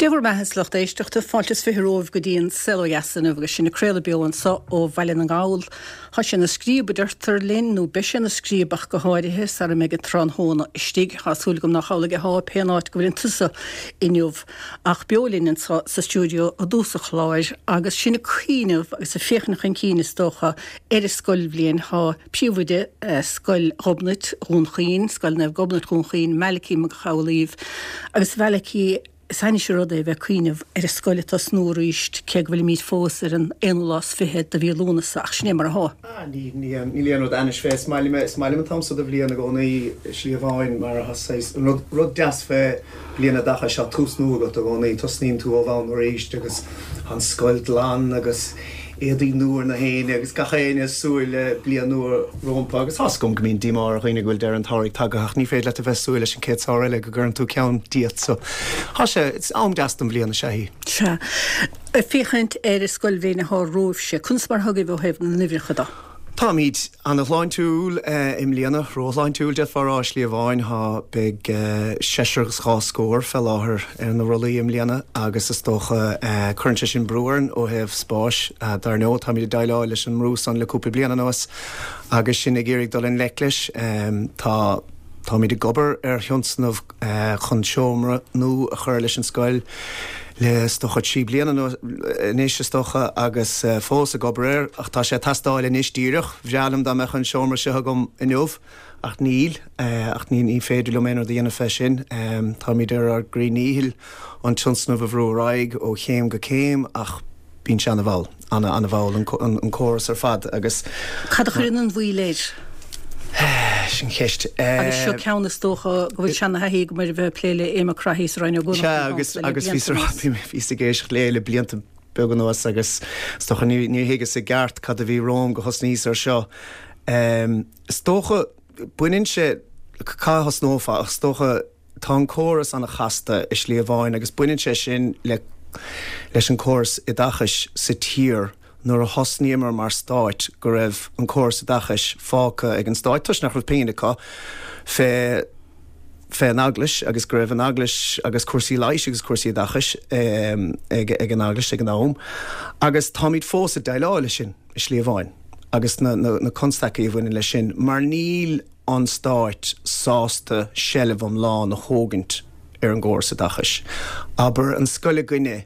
Dé bhur mbeatha a lucht éisteachta, fáilte is romhaibh go dtí an Saol Ó Dheas inniu agus sinn ag craoladh beo anso ó Bhaile na nGall. Tá sé ina scríob a deirtear linn, nó beidh sé ina scríob ach go háirithe, sara mbeidh an tráthnóna istigh. Tá súil agam nach amhlaidh athá pé an áit go bhfuileann tusa inniu. Ach beo linn anso sa stiúideo i dtús an chláir agus sinn ag cuimhneamh agus ag féachaint chun cinn is dócha ar an scoilbhliain. Tá Príomhoide Scoil Ghobnait Dhún Chaoin, Scoil Naomh Gobnait Dhún Chaoin, Malachy Mac Amhlaoibh agus Malachy, is ainnis an rud é a bheith ag cuimhneamh ar an scoil ag tosnú arís, cé go bhfuilimid fós ar an aonú lá is fiche de mhí Lúnasa, ach sin é mar athá. Ah, ní, ní, níl aon rud ainnis fé. Is maith liom, is maith liom an t-am so de bhliain i gcónaí, i slí amháin, mar tá saghas, an rud, rud deas fé bliain oideachais, tá tús nua agat i gcónaí, tosnaíonn tú ó bhonn arís agus tá an scoil glan agus éadaí nua ar na héinne agus gach éinne ag súil le bliain nua rómpa agus tá's agam go mbíonn díomá ar dhaoine go bhfuil deireadh an tsamhraidh tagtha ach ní féidir leat a bheith ag súil leis an chéad samhradh eile go gcuireann tú ceann díot so tá sé, it's am deas den bhliain is ea í. Sea. Ag féachaint ar an scoilbhliain atá romhaibhse, conas mar atá agaibh ó thaobh na n-uimhreacha de? Táimid ana-shláintiúil i mbliana, ró-shláintiúil d'fhéadfá a rá i slí amháin. Tá, beidh seisear agus dhá scór fé láthair ar na rollaí i mbliana agus is dócha cuireann sé sin brú orainn ó thaobh spáis. Dar ndóigh, táimid ag déileáil leis an mbrú san le cúpla bliain anuas agus sinn ag iarraidh dul i ngleic leis. Tá, táimid ag obair ar thionscnamh chun seomra nua a chur leis an scoil le is dócha 3 bliana anois is dócha agus fós ag obair air ach tá sé ag teastáil anois díreach. Bhreá liom dá mbeadh an seomra seo agam inniu ach níl ach ní ní féidir liom aon rud a dhéanamh fé sin. Táimid ar ár gcroí ndíchill an tionscnamh a bhrú ar aghaidh ó chéim go céim ach bíonn sé ana-mhall, ana-ana-mhall an córas ar fad agus. Cad a chuireann an mhoill air? Sin ceist. Agus seo ceann is dócha go bhfuil seana-thaithí agam air a bheith ag plé le Éamon Craithí sa Roinn Ó gCuanach Sea agus agus bhíos ag éisteacht léi le blianta beaga anuas agus is dócha níor thuigeas i gceart cad a bhí romham go thosnaíos ar seo. Is dócha baineann sé, cá thosnófá ach is dócha Tá an córas an-chasta i slí amháin agus baineann sé sin le leis an córas oideachais sa tír. Nuair a thosnaíomar mar stáit go raibh an córas oideachais fágtha ag an stáit toisc nach raibh pingin acu fé fé an Eaglais agus go raibh an Eaglais agus cúrsaí leighis agus cúrsaí oideachais ag ag an Eaglais ag an am agus táimid fós ag déileáil leis sin i slí amháin agus na na na constaicí a bhaineann leis sin mar níl an Stáit sásta seilbh iomlán a thógaint ar an gcóras oideachais. Abair, an scoil againne,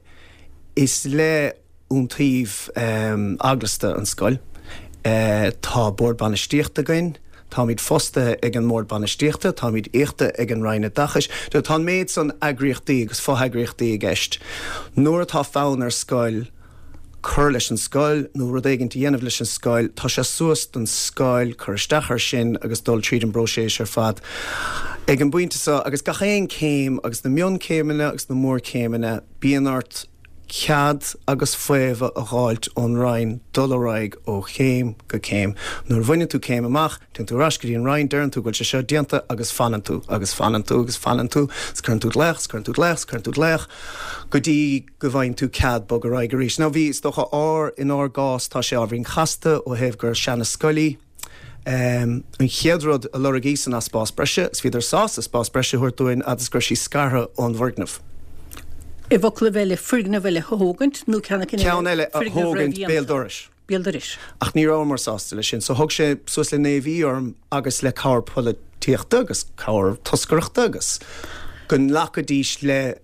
is le iontaoibh eaglasta an scoil. Tá bord bainistíochta againn, táimid fostaithe ag an mbord bainistíochta, táimid íochta ag an Roinn Oideachais. Tá an méid san eagraíochtaí agus fo-eagraíochtaí i gceist. Nuair atá fonn ar scoil, cur leis an scoil nó rud éigin a dhéanamh leis an scoil, tá sé suas don scoil cur isteach air sin agus dul tríd an bpróiseas ar fad. Ag an bpointe seo, agus gach aon céim agus na mionchéimeanna agus na mórchéimeanna, bíonn ort cead agus faomhadh a dh'fháilt ón Roinn dul ar aghaidh ó chéim go céim. Nuair a bhaineann tú céim amach, téann tú ar ais go dtí an Roinn, deireann tú go bhfuil sé seo déanta agus fanann tú, agus fanann tú, agus fanann tú, agus cuireann tú glaoch, agus cuireann tú glaoch, agus cuireann tú glaoch go dtí go bhfaigheann tú cead bog ar aghaidh arís. Now bhí, is dócha, ár, inár gcás tá sé ábhairín casta ó thaobh gur seana scoil í. An chéad rud a lorgaíos ná spás breise agus bhíodar sásta spás breise a thabhairt dúinn fhad is go raibh sí scartha ón bhfoirgneamh. I bhfoclaibh eile, foirgneamh eile a thógaint nó ceann eile, Ceann eile a thógaint béal dorais. béal dorais. Ach ní rabhamar sásta leis sin so thóg sé suas le naoi mhí orm agus le cabhair polaitíochta agus cabhair toscaireachta agus go nglacfaidís le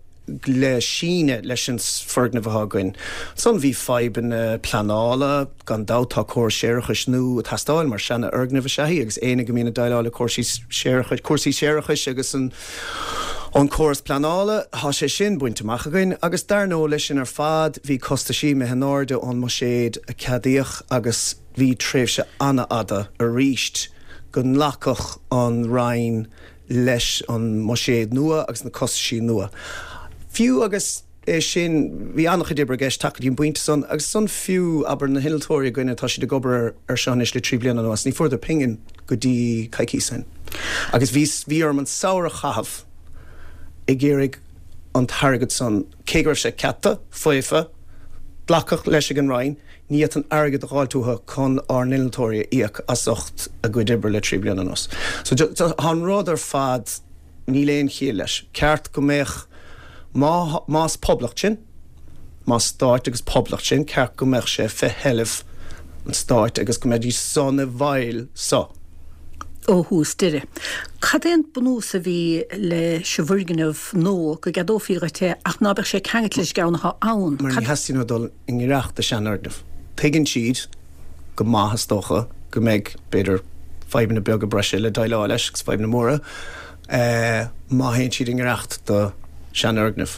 le síneadh leis an foirgneamh atá againn. Ansan bhí fadhbanna pleanála, gan dabht tá córas séarachais nua ag teastáil mar seana fhoirgneamh is ea í agus éinne go mbíonn ag déileáil le cúrsaí séarachais, cúrsaí séarachais agus an an córas pleanála, tá sé sin bainte amach againn agus dar ndóigh leis sin ar fad bhí costaisí imithe in airde ón mbuiséad a ceadaíodh agus bhí tréimhse an-fhada aríst go nglacfadh an Roinn leis an mbuiséad nua agus na costaisí nua. Fiú agus é sin, bhí an-chuid oibre i gceist teacht go dtí an bpointe san agus san fiú, abair, na hinnealtóirí againne, tá siad ag obair ar seo anois le 3 bliana anuas, ní fuaireadar pingin go dtí coicíos ó shin. Agus bhí, bhí orm an samhradh a chaitheamh ag iarraidh an t-airgead san, cé go raibh sé ceaptha, faofa, glacadh leis ag an Roinn, ní fhéadfainn airgead a dh'fháilt uathu chun ár n-innealtóirí a íoc as ucht a gcuid oibre le 3 bliana anuas. So, tá an rud ar fad, níl aon chiall leis. Ceart go mbeadh. Má, más poblacht sinn, más stáit agus poblacht sinn, ceart go mbeadh sé fé sheilbh an stáit agus go mbeidís san i bhfeighil so. Ó thús deireadh. Cad é an bunús a bhí leis an bhfoirgneamh nua, go gceadófaí dhuit é ach ná beadh sé ceangailte leis an gceann atá ann? Mar ní theastaíonn uathu dul i ngiorracht do seanfhoirgneamh. Tuigeann siad go maith, is dócha, go mbeidh, b'fhéidir, fadhbanna beaga breise le déileáil leis agus fadhbanna móra. má théann siad i ngiorracht do sheanfhoirgneamh.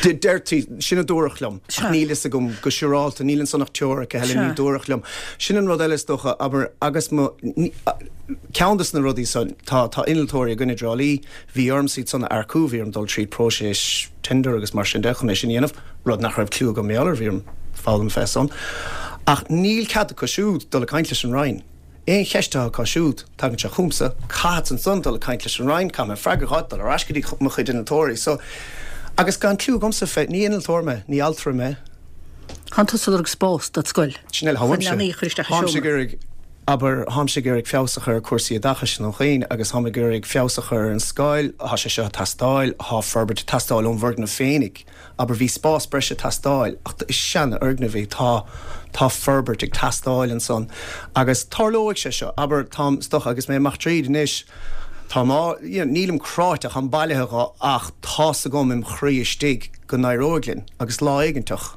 Deirtí, sin a dúradh liom, ach níl fhios agam go siúrálta, níl ansan ach teoiric, a Helen, ní dúradh liom. Sin an rud eile is dócha, abair, agus mo, ceann de na rudaí san, tá, tá innealtóirí againn i dTrá Lí, bhí ormsa iad san a earcú, bhí orm dul tríd próiseas tender agus mar sin de chun é sin a dhéanamh, rud nach raibh cliú agam mar gheall air, bhí orm foghlaim fé san. Ach níl cead acu siúd dul ag caint leis an Roinn. Aon cheist atá acu siúd, tagann sé chugamsa, caithfeadsa ansan dul ag caint leis an Roinn, caithfidh mé freagra a fháil, dul ar ais go dtí mo chuid innealtóirí. So, agus gan cliú agamsa fé, ní innealtóir mé, ní altra mé. Tánn tusa ag lorg spás dod scoil. Sin eile, Chun leanaí a chur isteach i seomra. Tháimse ag iarraidh, abair, tháimse ag iarraidh feabhas a chur ar cúrsaí oideachais i nDún Chaoin agus táim ag iarraidh feabhas a chur ar an scoil, tá sé seo ag teastáil, tá forbairt ag teastáil ón bhfoirgneamh féinig. Abair, bhí spás breise ag teastáil, ach is seanfhoirgneamh é, tá, tá forbairt ag teastáil ansan agus tarlóidh sé seo, abair, táim, is dócha, agus mé amach tríd anois, táim á, you know, nílim cráite, táim bailithe dho ach tá's agam im chroí istigh go n-éireoidh linn agus lá éiginteach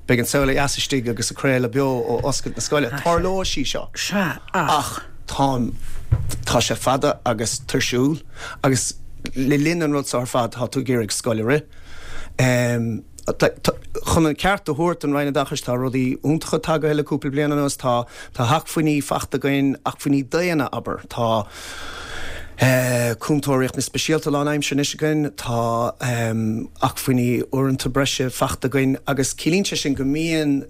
beidh An Saol Ó Dheas istigh agus ag craoladh beo ó oscailt na scoile. Tarlóidh sí seo. Sea, ach. Táim, tá sé fada agus tuirsiúil agus le linn an rud seo ar fad tá tú ag iarraidh scoil a rith. Chun an ceart a thabhairt don Roinn Oideachais tá rudaí iontacha tagaithe le cúpla bliain anuas, tá tá acmhainní fachta againn, acmhainní daonna abair, tá cúntóir riachtanas speisialta lánaimseartha anois againn, tá acmhainní uaireanta breise fachta againn agus ciallaíonn sé sin go mbíonn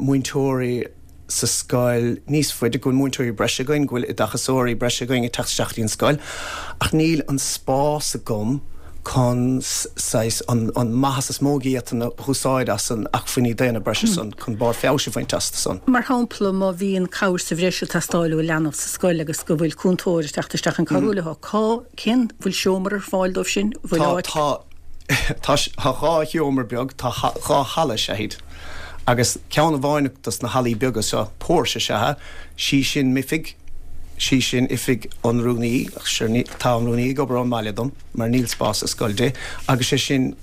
múinteoirí sa scoil níos faide, go bhfuil múinteoirí breise againn, go bhfuil oideachasóirí breise againn ag teacht isteach dtí an scoil, ach níl an spás agam chun saghas an an maitheas is mó a d'fhéadfainn a úsáid as an acmhainní daonna breise san chun barr feabhais a bhaint astu san. Mar shampla, má bhíonn cabhair sa bhreis ag teastáil ó leanbh sa scoil agus go bhfuil cúntóir ag teacht isteach chun cabhrú leo, cá, cén, bhfuil seomra ar fáil dóibh sin? Bhfuil áit? Tá, tá, tá dhá sheomra beag, tá dhá halla, is ea iad. Agus ceann amháin dos na hallaí beaga seo, póirse is ea é, sí sin m'oifig, sí sin oifig an rúnaí, ach sure ní, tá an rúnaí ag obair ón mbaile dom, mar níl spás sa scoil di, agus sé sin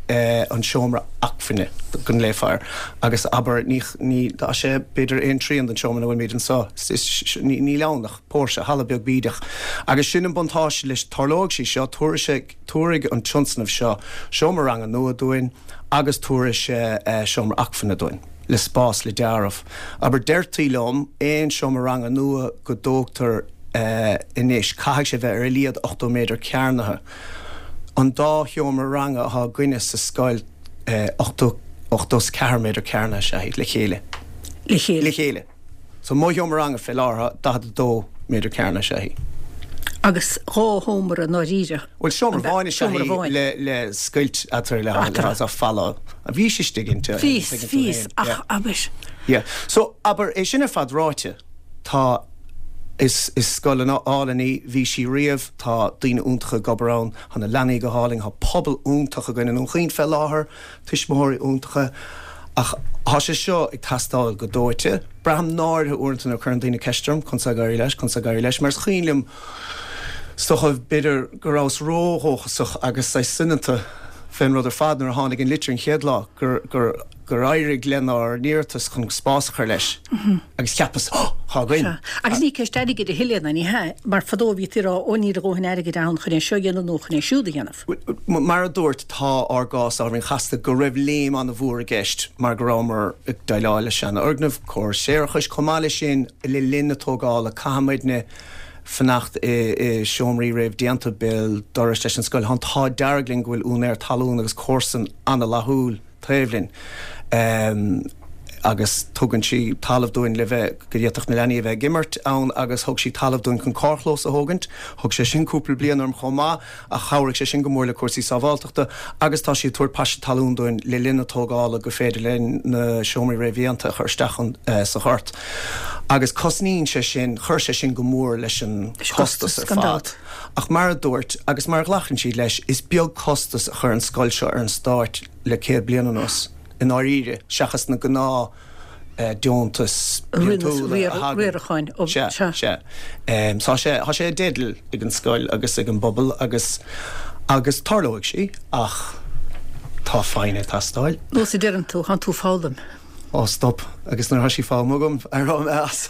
an seomra acmhainne go nglaofá air. Agus abair, ní, ní, tá sé b'fhéidir aon trian den seomra ina bhfuilimid anseo, is, ní, níl ann ach póirse, halla beag bídeach. Agus sin an buntáiste leis, tarlóidh sí seo, tabharfaidh sé, tabharfaidh an tionscnamh seo seomra ranga nua dúinn, agus tabharfaidh sé seomra acmhainne dúinn, le spás le deáramh. Abair, deirtí liom, aon seomra ranga nua go dtógtar anois, caithfidh sé bheith ar a laghad 80 méadar cearnaithe. An dá sheomra ranga atá againne sa scoil, 80, 84 méadar cearnaithe is ea iad le chéile. Le chéile. Le chéile. So mo sheomra ranga fé láthair, 42 méadar cearnaithe is ea í. Agus dhá sheomra i ndáiríre. Bhuel, seomra amháin is ea í le, le scoilt eatarthu le haghaidh falla. Bhís istigh inti. Bhíos, bhíos, ach abair. Yeah. So, abair, é sin ar fad ráite, tá, is, is scoil an-álainn í, bhí sí riamh, tá daoine iontacha ag obair ann, tá na leanaí go hálainn, tá pobal iontach againn i nDún Chaoin fé láthair, tuismitheoirí iontacha, ach tá sé seo ag teastáil go dóite. Braithim náirithe uaireanta nuair a chuireann daoine ceist orm, conas ag éirí leis, conas ag éirí leis, mar is cuimhin liom, is dócha, b'fhéidir go rabhas ródhóchasach agus saghas soineanta fén rud ar fad nuair a tháinig an litir an chéad lá gur, gur, gur éirigh lenár n-iarratas chun spás a chur leis agus cheapas, oh, tá againn! Sea. Agus ní ceist airgid a thuilleadh, ná ní hea, mar fadó bhítí ag rá, ó níl a dhóthain airgid ann chun é seo a dhéanamh nó chun é siúd a dhéanamh. Mar a dúirt, tá ár gcás ábhairín chasta, go raibh léim an-mhór i gceist mar go rabhamar ag déileáil le seanfhoirgneamh, córas séarachais. Chomh maith leis sin, le linn na tógála, caithfidh muidne fanacht i seomraí réamhdhéanta béal dorais leis an scoil. Tá an t-ádh dearg linn go bhfuil úinéir talún agus comharsan an-fhlaithiúil taobh linn. Agus tugann sí talamh dúinn le bheith, go bhféadfadh na leanaí a bheith ag imirt ann agus thug sí talamh dúinn chun carrchlós a thógaint. Thóg sé sin cúpla bliain orm chomh maith ach chabhraigh sé sin go mór le cúrsaí sábháilteachta agus tá sí ag tabhairt paiste talún dúinn le linn na tógála go féidir linn na seomraí réamhdhéanta a chur isteach sa ghort. Agus cosnaíonn sé sin, chuir sé sin go mór leis an chostas ar fad. Ach mar a dúirt, agus mar a ghlacann siad leis, is beag costas a chuir an scoil seo ar an Stát le 100 bliain anuas. i ndáiríre, seachas na gnáth deontais bliantúla a thagann. Riaracháin. Sea, sea. Tá sé, tá sé i dteideal ag an scoil agus ag an bpobal agus, agus tarlóidh sí ach tá foighne ag teastáil. Nós a deireann tú, thánn tú ag foghlaim. Ó stop, agus nuair atá sí foghlamtha agam, éireoidh mé as.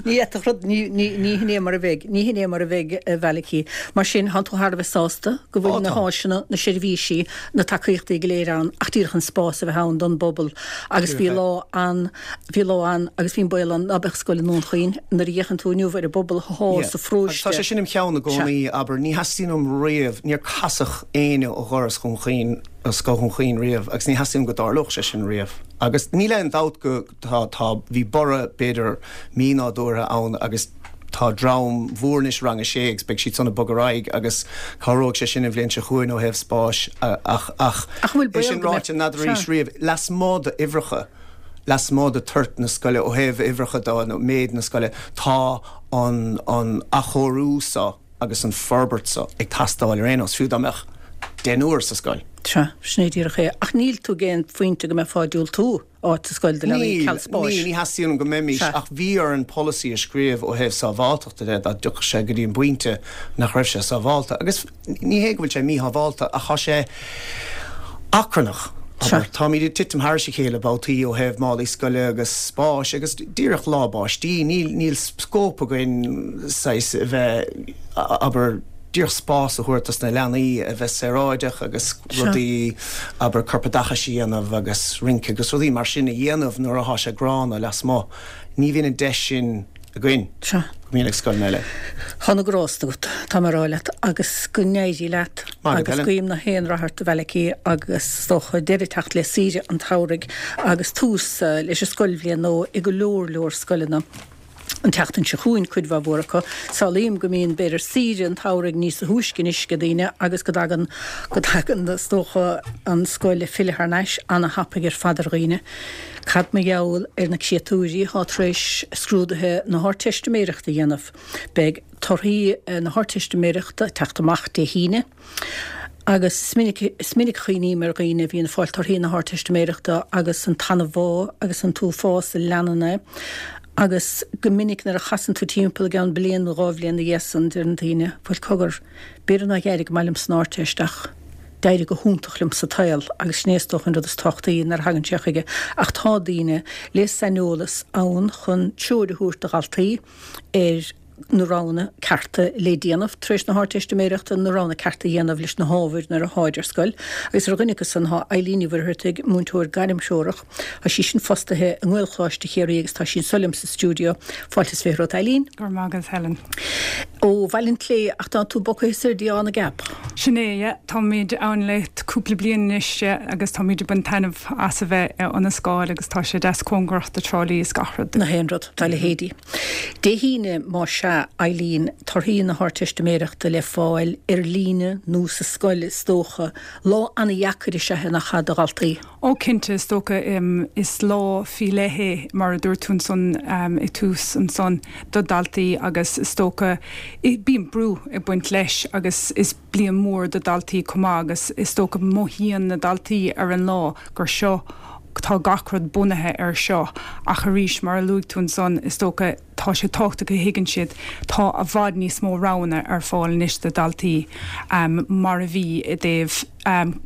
Ní fhéadfadh rud, ní, ní, ní hin é mar a bheidh, ní hin é mar a bheidh, a Mhalachy. Mar sin, thánn tú thar a bheith sásta go bhfuil na háiseanna, na seirbhísí, na tacaíochtaí go léir ann ach díreach an spás a bheith ann don bpobal agus bhí lá an, bhí lá ann agus bhí an baol ann ná beadh scoil i nDún Chaoin nuair a fhéachann tú inniu ar an bpobal athá sa pharóiste. Agus tá sé sin im cheann i gcónaí, abair, ní theastaíonn uaim riamh, níor casadh éinne ó dhoras Dhún Chaoin, ó Scoil Dhún Chaoin riamh agus ní theastaíonn uaim go dtarlódh sé sin riamh. Agus níl aon dabht go. Tá, tá, bhí borradh b'fhéidir mínádúrtha ann agus tá dream mhór anois i rang a sé agus beidh siad san ag bogadh ar aghaidh agus cabhróidh sé sin an bhliain seo chugainn ó thaobh spáis ach, ach, Ach an bhfuil é baol sin go mbeadh, ráite, n'fheadar sea. arís riamh, lasmuigh d'uimhreacha, lasmuigh de toirt na scoile, ó thaobh uimhreacha de nó méid na scoile, tá an, an athchóiriú so agus an forbairt so ag teastáil ar aon nós, fiú dá mbeadh deichniúr sa scoil. Sea, sin é díreach é. Ach níl tú ag aon phointe go mbeifeá ag diúltú áit sa scoil do leanaí Níl, ceal spáis. níl, ní theastaíonn uaim go mbeimis, Sea. ach bhí orainn polasaí a scríobh ó thaobh sábháilteachta de dá dtiocfadh sé go dtí an bpointe nach raibh sé sábhálta. Agus ní hé go bhfuil sé míshábhálta ach tá sé achrannach, Sea. abair. Táimid ag titim thairis a chéile babhtaí ó thaobh málaí scoile agus spáis agus díreach lá báistí, níl, níl scóip againn saghas a bheith, abair, díreach spás a thabhairt dos na leanaí a bheith saoráideach agus rudaí, abair, corpoideachais a dhéanamh agus rince agus rudaí mar sin a dhéanamh nuair athá sé gránna lasmuigh. Ní bhíonn an deis sin againn go mbíonn ag scoileanna eile. Tá na grásta agat, tá mé a rá leat, agus go n-éirí leat Maith agat, agus Helen. guím na haon rath ort, a Mhalachy, agus is dócha deireadh ag teacht le saoire an tsamhraidh agus tús leis an scoilbhliain nua i go leor leor scoileanna. an tseachtain seo chugainn, cuid mhaith mhór acu. Samhlaím go mbíonn, b'fhéidir, saoire an tsamhraidh níos túisce anois ag daoine agus go dtagann, go dtagann, is dócha, an scoil ag filleadh thar n-ais ana-thapaidh ar fad ar dhaoine. Cad mar gheall ar na créatúirí atá tar éis scrúduithe na hArdteistiméireachta a dhéanamh? Beidh torthaí na hArdteistiméireachta ag teacht amach Dé hAoine. Agus is minic, is minic a chuimhním ar dhaoine a bhíonn ag fáil torthaí na hArdteistiméireachta agus an t-anbhá agus an t-uafás a leanann é. Agus go minic nuair a chasann tú timpeall i gceann bliain nó 2 bhliain ina dhiaidh san, deireann daoine, bhuel cogar, b'fhéidir nár éirigh go maith liom san Ardteist ach d'éirigh go hiontach liom sa tsaol agus sin é is dócha an rud is tábhachtaí nuair a thagann sé chuige. Ach tá daoine le saineolas ann chun treoir a thabhairt do dhaltaí ar na roghanna cearta le déanamh tar éis na hArdteistiméireachta, na roghanna cearta a dhéanamh leis na hábhair nuair atháid ar scoil. Agus ar dhuine acu san tá Eileen Ní Mhuircheartaigh, múinteoir gairmthreorach. Tá sí sin fostaithe i nGaelcholáiste Chiarraí agus tá sí anso liom sa stiúideo. Fáilte is 20 romhat, Eileen. Go raibh maith agat, Helen. Ó Bhaile an tSléibhe, ach tá tú bogtha soir dtí Áth na gCeap. Sin é, yeah. Táimid ann le cúpla bliain anois, yeah, agus táimid ag baint taitneamh as a bheith i Ionn na Scáil agus tá sé deas cóngarach do Trá Lí is gach rud. Na haon rud dá leithéidí. Dé hAoine, más ea, Eileen, torthaí na hArdteistiméireachta le fáil ar líne nó sa scoil is dócha. Lá an-dheacair is ea é nach ea do dhaltaí? Ó cinnte, is dócha. Is lá faoi leith é, mar a dúirt tú ansan i tús ansan, do dhaltaí agus is dócha bíonn brú ag baint leis agus is bliain mhór do dhaltaí chomh maith agus is dócha mothaíonn na daltaí ar an lá gur seo, tá gach rud bunaithe ar seo ach arís mar a luaigh tú ansan is dócha tá sé tábhachtach go thuigeann siad tá i bhfad níos mó roghanna ar fáil anois do dhaltaí mar a bhí i dtaobh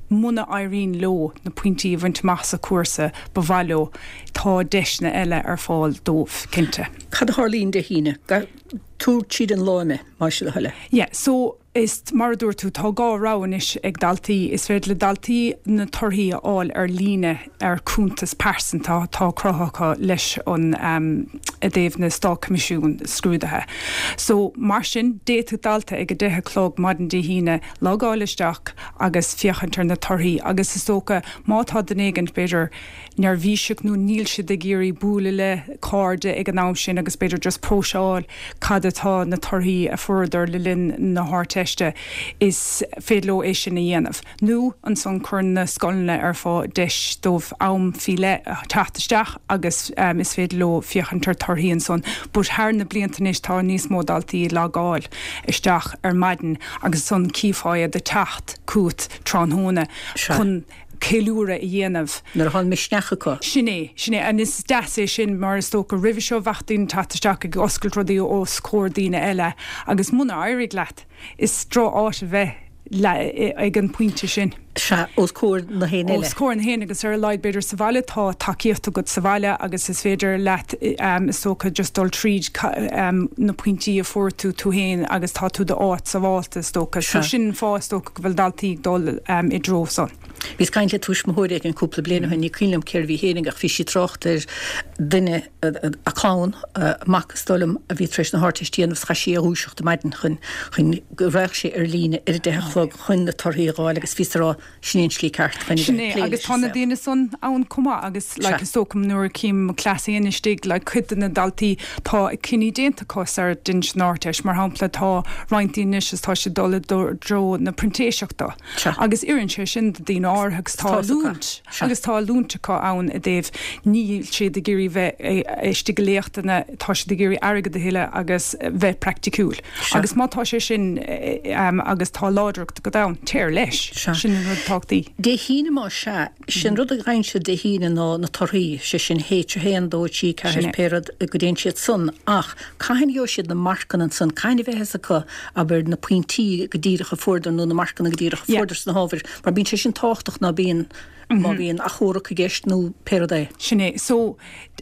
muna éiríonn leo na pointí a bhaint amach sa chúrsa ba mhaith leo tá deiseanna eile ar fáil dóibh cinnte. Cad a tharlaíonn Dé hAoine? Tabhair tríd an lá mé, más é do thoil é. Yeah so. Is mar a dúirt tú, tá 2 rogha anois ag daltaí. Is féidir le daltaí na torthaí a fháil ar líne ar cuntas pearsanta atá cruthaithe acu leis an i dtaobh na Státchoimisiún Scrúduithe. So, mar sin, d'fhéadfadh dalta ag a 10 a chlog maidin Dé hAoine logáil isteach agus féachaint ar na torthaí agus is dócha má tá duine éigint, b'fhéidir, neirbhíseach nó níl siad ag iarraidh bualadh le cairde ag an am sin agus b'fhéidir just próiseáil cad atá na torthaí a fuaireadar le linn na hArdteiste, is féidir leo é sin a dhéanamh. Nó ansan cuireann na scoileanna ar fáil deis dóibh am faoi leith teacht isteach agus is féidir leo féachaint ar torthaí ansan. But thar na blianta anois tá níos mó daltaí ag logáil isteach ar maidin agus ansan cífeá iad ag teacht chugat tráthnóna chun ceiliúradh a dhéanamh. Nuair atá an misneach acu. Sin é, sin é. And is deas é sin mar is dócha roimhe seo bheadh daoine ag teacht isteach ag oscailt rudaí os comhair daoine eile agus muna éirigh leat, is droch-áit a bheith ag an pointe sin. Sea, os comhair na héinne eile. Os comhair na héinne agus ar a laghad b'fhéidir sa bhaile tá tacaíocht agat sa bhaile agus is féidir leat is dócha just dul tríd na pointí a fuair tú tú féin agus tá tú i d'áit sábhálta is dócha. So sin an fáth is dócha go bhfuil daltaí ag dul i dtreo san. Bhíos ag caint le tuismitheoir éigin cúpla bliain ó shin, ní cuimhin liom cérbh í fhéinig ach bhí sí ag trácht ar duine, a clann, a mac is dóigh liom, a bhí tar éis na hArdteiste a dhéanamh is chaith sí é a dhúiseacht ar maidin chun, chun go raghadh sé ar líne ar a deich a chlog chun na torthaí a dh'fháil agus bhíos ag rá sin é an tslí ceart chun a bheith ag plé leis an saol. Sin é agus tá na daoine san ann chomh maith agus like is dócha nuair a chím mo chleas féin istigh like cuid de na daltaí tá cinní déanta acu sar a dhein siad an Ardteist mar shampla tá roinnt daoine anois is tá siad dul i dtreo na printéiseachta agus oireann sé sin do daoine áirithe agus tá oiliúint agus tá oiliúint acu ann i dtaobh níl siad ag iarraidh bheith istigh i léachtanna tá siad ag iarraidh airgead a thuilleadh agus bheith praiticiúil agus má tá sé sin agus tá láidreacht agat ann téir leis sin an rud tábhachtaí. Dé hAoine más ea, Sé an rud a gheibheann siad Dé hAoine ná na torthaí, sé sin H1, 2, 3, 4, pé rud go dtéann siad san, ach cathain a gheobhaidh siad na marcanna ansan, cathain a bheidh fhios acu, abair, na pointí go díreach a fuaireadar nó na marcanna go díreach a fuaireadar sna hábhair, mar bíonn sé sin tábhachtach ná bíonn, má bhíonn achomharc i gceist nó pé rud é. Sin é. So,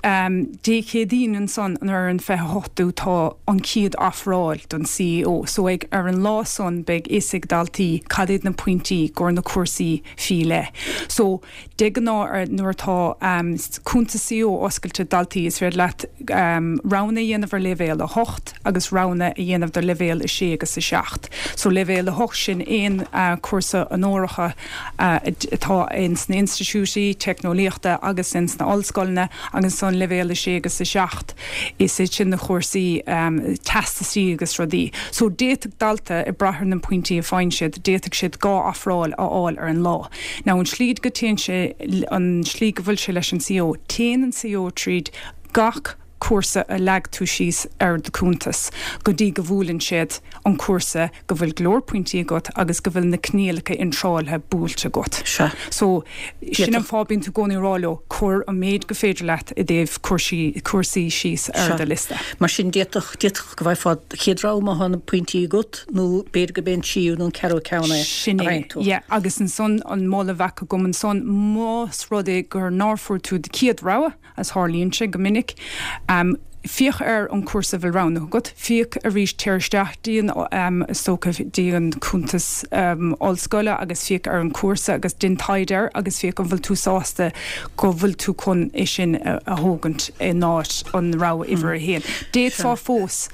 Dé Céadaoin ansan ar an 28ú tá an chéad ofráil don CAO. So ag, ar an lá san beidh fhios ag daltaí cad iad na pointí i gcomhair na cúrsaí faoi leith. So, de ghnáth ar, nuair atá cuntas CAO oscailte ag daltaí is féidir leat roghanna a dhéanamh ar leibhéal 8 agus roghanna a dhéanamh do leibhéal 6 agus 7. So leibhéal 8 sin aon cúrsa onóracha atá ins na institiúidí teicneolaíochta agus ins na ollscoileanna agus ansan leibhéal 6 agus 7 is iad sin na cúrsaí teastasaí agus rudaí. So d'fhéadfadh dalta, ag brath ar na pointí a faigheann siad, d'fhéadfadh siad 2 ofráil a fháil ar an lá. Now an slí go dtéann sé, an slí go bhfuil sé leis an CAO, téann an CAO tríd gach cúrsa a leag tú síos ar do cuntas go dtí go bhuaileann siad an cúrsa go bhfuil go leor pointí agat agus go bhfuil na coinníollacha iontrála buailte agat. Sea. So, sin an fáth bíonn tú i gcónaí ag rá leo, cuir an méid go féidir leat i dtaobh cúrsaí, cúrsaí síos ar do liosta. Mar sin, d'fhéadfadh, d'fhéadfadh go bhfaighfeá do chéad rogha má thá na pointí agat nó b'fhéidir gurb é an tríú nó an ceathrú ceann é a Sin é, fhaigheann tú. yeah. Agus ansan, an moladh a bheadh agam ansan, más rud é gur nár fuair tú do chéad rogha, As tarlaíonn sé go minic. Féach ar an cúrsa a bhfuil roghnaithe agat. Féach arís, téir isteach dtí an, is dócha, dtí an cuntas ollscoile agus féach ar an cúrsa agus déan taighde air agus féach an bhfuil tú sásta go bhfuil tú chun é sin a thógaint in áit an rogha uimhir a haon. D'fhéadfá fós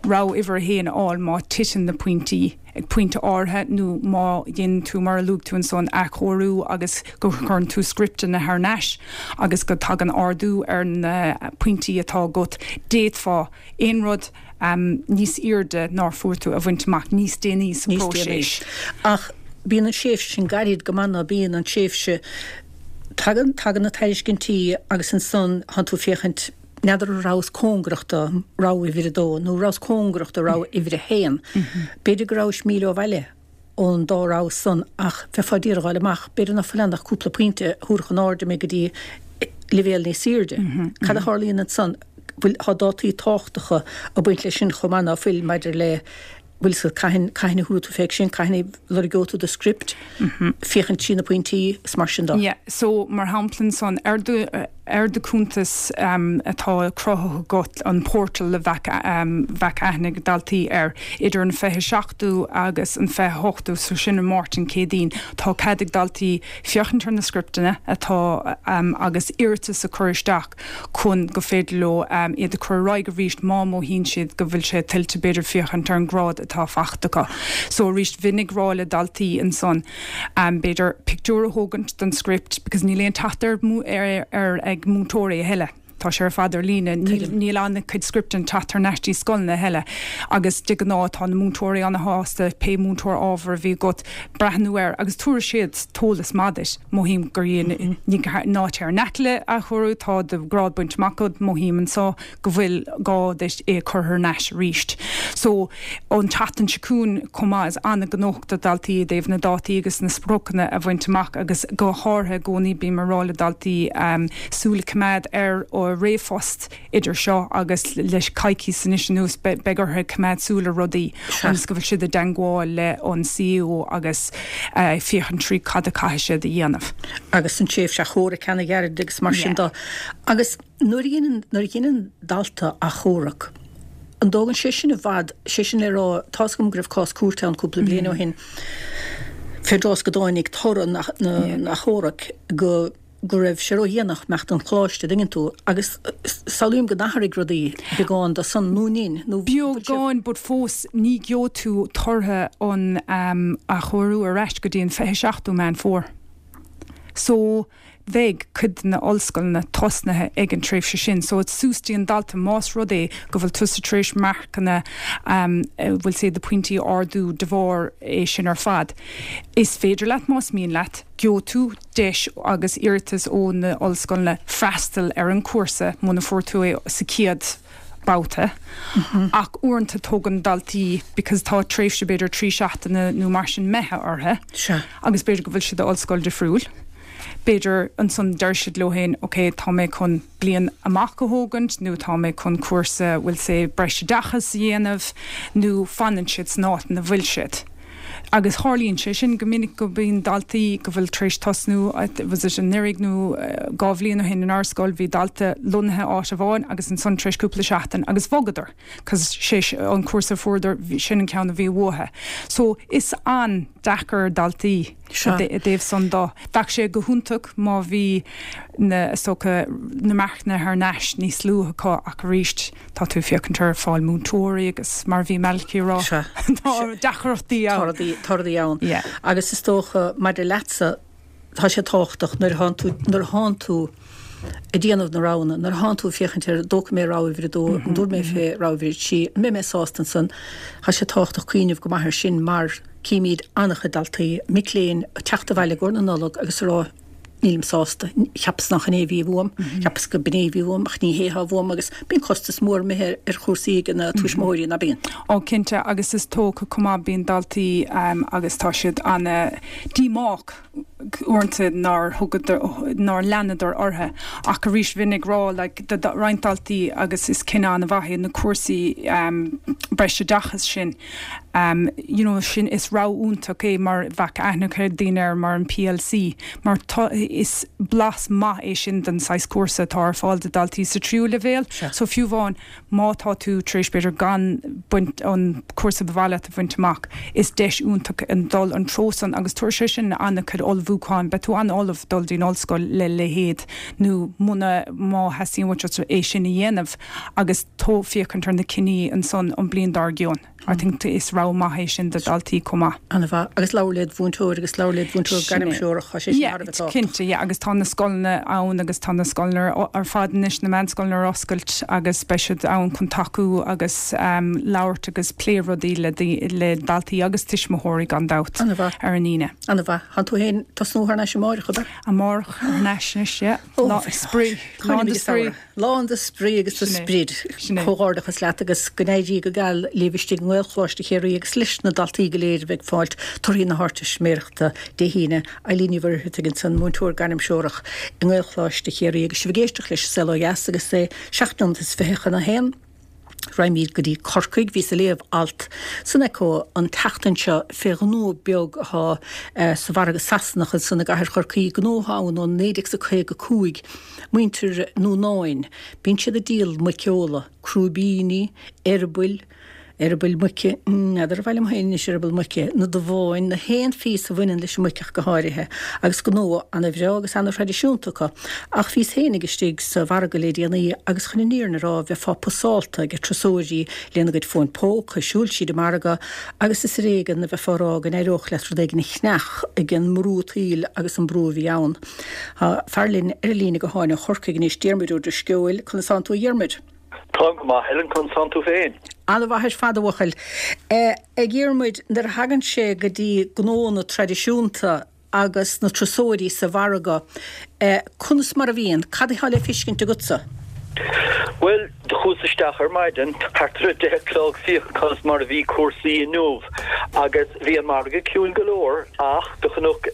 rogha uimhir a haon a fháil má titeann na pointí. ag pointe áirithe nó má dhéanann tú, mar a luaigh tú ansan, athchóiriú agus go gcuireann tú scripteanna thar n-ais agus go dtagann ardú ar na pointí atá agat, d'fhéadfá aon rud níos airde nár fuair tú a bhaint amach níos déanaí sa Níos déanaí. phróiseas. Ach bíonn an tréimhse sin gairid go maith ná bíonn an tréimhse, tagann, tagann na tairiscintí agus ansan thánn tú ag féachaint, N'fheadar an rabhas cóngarach do rogha uimhir a dó nó rabhas cóngarach do rogha uimhir a haon. B'fhéidir go rabhais míle ó bhaile ón dá rogha san ach bheifeá d'iarraidh a dh'fháil amach, b'fhéidir ná fuil ann ach cúpla pointe a thabharfadh in airde mé go dtí leibhéal níos airde. Cad a tharlaíonn ansan? Bhfuil, tá dátaí tábhachtacha ag baint leis sin chomh maith ná fuil maidir le bhfuil fhios agat cathain, cathain a thabharfaidh tú fé sin, cathain a lorgóidh tú do script, féachaint trí na pointí is mar sin de. Yeah, so mar shampla ansan, ar do. ar do chuntas atá cruthaithe agat, an portal a bheadh bheadh aithne ag daltaí air, idir an 27ú agus an 28ú, so sin an Máirt an Chéadaoin, tá cead ag daltaí féachaint ar na scripteanna atá agus iarratas a chur isteach chun go féidir leo iad a chur ar aghaidh arís má mhothaíonn siad go bhfuil sé tuillte b'fhéidir féachaint ar an grád atá faighte acu. So arís bheinn ag rá le daltaí ansan b'fhéidir pictiúr a thógaint den script because níl aon teacht ar air ag múinteoirí a thuilleadh. Tá sé ar fad ar líne. Níl an-chuid scripteanna ag teacht thar n-ais dtí scoileanna a thuilleadh agus de ghnáth tá na múinteoirí ana-shásta pé múinteoir ábhair a bhí agat breathnú air agus tabharfaidh siad t-eolas maith duit. Mothaím gur dhein ní ná téir in aice le athchóiriú, tá do ghrád bainte amach agat, mothaím anso go bhfuil gá duit é a chur thar n-ais arís. So, an tseachtain seo chugainn chomh maith is an-ghnóthach do dhaltaí i dtaobh na dátaí agus na spriocanna a bhaint amach agus go háirithe i gcónaí bím ag rá le daltaí súil a choimeád ar ríomhphost idir seo agus le coicíos anois anuas beidh orthu coimeád súil ar rudaí ionas go bhfuil siad i dteangmháil le an CAO agus féachaint trí cad a caithfidh siad a dhéanamh. Agus an tréimhse achomhairc ana-ghairid agus mar sin de. Agus nuair a dhéanann, nuair a dhéanann dalta achomharc, an dtógann sé sin i bhfad, sé sin le rá, tá's agam go raibh cás cúirte ann cúpla bliain ó shin fén dtráth is go dtáinig toradh na, na, na achomhairc go, go raibh sé ródhéanach imeacht ón choláiste, an dtuigeann tú, agus samhlaím go n-athraigh rudaí beagán do san nó nin, nó bhfuil sé. Beagán, but fós ní gheobhaidh tú tortha an athchóiriú ar ais go dtí an 27ú Meán Fómhair. So, bheidh cuid de na ollscoileanna tosnaithe ag an tréimhse sin. So it's suas dtí an dalta más rud é go bhfuil tusa tar éis marcanna bhfuil sé do pointí a ardú de bharr é sin ar fad. Is féidir leat más mian leat, gheobhaidh tú deis agus iarratas ó na ollscoileanna freastal ar an chúrsa muna fuair tú é sa chéad babhta. Ach uaireanta tógann daltaí because tá tréimhse b'fhéidir 3 seachtaine nó mar sin imithe orthu agus b'fhéidir go bhfuil siad i ollscoil difriúil. B'fhéidir ansan deir siad leo féin ok tá mé chun bliain amach a thógaint nó tá mé chun cúrsa bhfuil sé breisoideachas a dhéanamh nó fanann siad san áit ina bhfuil siad. Agus tharlaíonn sé sin go minic go mbíonn daltaí go bhfuil tar éis tosnú, was it anuraidh nó 2 bhliain ó shin inár scoil bhí dalta lonnaithe áit amháin agus ansan tar éis cúpla seachtain agus bhogadar cos sé an cúrsa a fuaireadar sin an ceann a bhí uathu. So is an-deacair ar daltaí i dtaobh san do. Bheadh sé go hiontach má bhí na, is dócha, na marcanna thar n-ais níos luaithe acu ach arís tá tú ag féachaint ar fáil múinteoirí agus mar a bhí Malachy ag rá tá deacrachtaí ann. Tá rudaí ann. Agus is dócha maidir leatsa tá sé tábhachtach nuair atánn tú, nuair atánn tú ag déanamh na roghanna, nuair atánn tú ag féachaint ar an dtógfaidh mé rogha uimhir a dó, an dtabharfaidh mé fé rogha uimhir a trí, an mbeidh mé sásta ansan, tá sé tábhachtach cuimhneamh go maith air sin mar címid an-chuid daltaí, mic léinn, ag teacht abhaile i gcomhair na Nollag agus ag rá nílim sásta, cheapas nach in é a bhí uaim, cheapas go b'in é a bhí uaim ach ní hé atá uaim agus bíonn costas mór imithe ar chúrsaí ag na tuismitheoirí, ná bíonn? Ó cinnte agus is dócha chomh maith bíonn daltaí agus tá siad ana-díomách uaireanta nár thugadar, nár leanadar orthu. Ach arís bheinn ag rá like do roinnt daltaí agus is cinneadh an-mhaith é na cúrsaí breisoideachais sin you know sin is rogha iontach é mar bheadh aithne ag daoine air mar an PLC mar tá is blas maith é sin den saghas cúrsa atá ar fáil do daltaí sa tríú leibhéal. So fiú amháin Má tá tú tar éis, b'fhéidir, gan baint, an cúrsa ba mhaith leat a bhaint amach, is deis iontach é dul an treo san agus tabharfaidh sé sin an-chuid ullmhúcháin. Beidh tú an-ullamh dul dtí'n ollscoil le leithéid nó muna, má theastaíonn uait é sin a dhéanamh agus tú féachaint ar na cinní ansan an bliain dár gcionn. I think is rogha maith é sin do dhaltaí chomh maith. An-mhaith. Agus labhair led mhúinteoir agus labhair led mhúinteoir gairmthreorach, tá sé sin thar a bheith tábhachtach. Cinnte, yeah, agus tá na scoileanna ann agus tá na scoileanna ar fad anois, na meánscoileanna ar oscailt agus beidh siad ann chun tacú agus labhairt agus plé rudaí le le daltaí agus tuismitheoirí gan dabht ar an Aoine. An-mhaith. Tánn tú féin tosnú thar n-ais amáireach, ab ea? Amárach thar n-ais anois, yeah. Lá spraoi. Lán de spraoi. Lán de spraoi agus de sprid. Comhghairdeachas leat agus go n-éirí go geal libh istigh i nGaelcholáiste Chiarraí agus leis na daltaí go léir a bheidh ag fáilt torthaí na hArdteistiméireachta Dé hAoine. Eileen Ní Mhuircheartaigh ansan, múinteoir gairmthreorach i nGaelcholáiste Chiarraí agus sibh ag éisteacht leis An Saol Ó Dheas agus é 7 nóiméad is 20 chun a haon. Raghaimid go dtí Corcaigh. Bhíos ag léamh alt san Echo an tseachtain seo fé ghnó beag atá sa mhargadh Sasanach ansan i gcathair Chorcaí, gnó atá ann ó 1955, muintir Núnáin. Bíonn siad ag díol muiceola, crúibíní, eireabaill, eireabaill muice, n'fheadar ar mhaith liom féin anois eireaball muice, na duáin, na haon phíosa a bhaineann leis an muic ach go háirithe, agus gnó ana-bhreá agus ana-thraidisiúnta acu. Ach bhíos féinig istigh sa mhargadh le déanaí agus chun an fhírinne a rá bheifeá pusálta ag turasóirí lena gcuid fóin póca ag siúl tríd an margadh agus is ar éigean a bheifeá a rá go n-éireodh leat rud éigin a cheannach ag an mbrú tsaoil agus an brú a bhí ann. Tá fear linn ar an líne gutháin ó Chorcaigh anois, Diarmuid Ó Drisceoil. Conas tánn tú a Dhiarmuid? Táim go maith, Helen, conas tánn tú féin? An-mhaith ar fad, a bhuachaill. A Dhiarmuid, nuair a thagann sé go dtí gnóanna traidisiúnta agus na turasóirí sa mhargadh, conas mar a bhíonn? Cad atá le feiscint agatsa? Bhuel, do chuas isteach ar maidin, thart ar a deich a chlog, féachaint conas mar a bhí cúrsaí inniu agus bhí an margadh ciúin go leor ach do chonac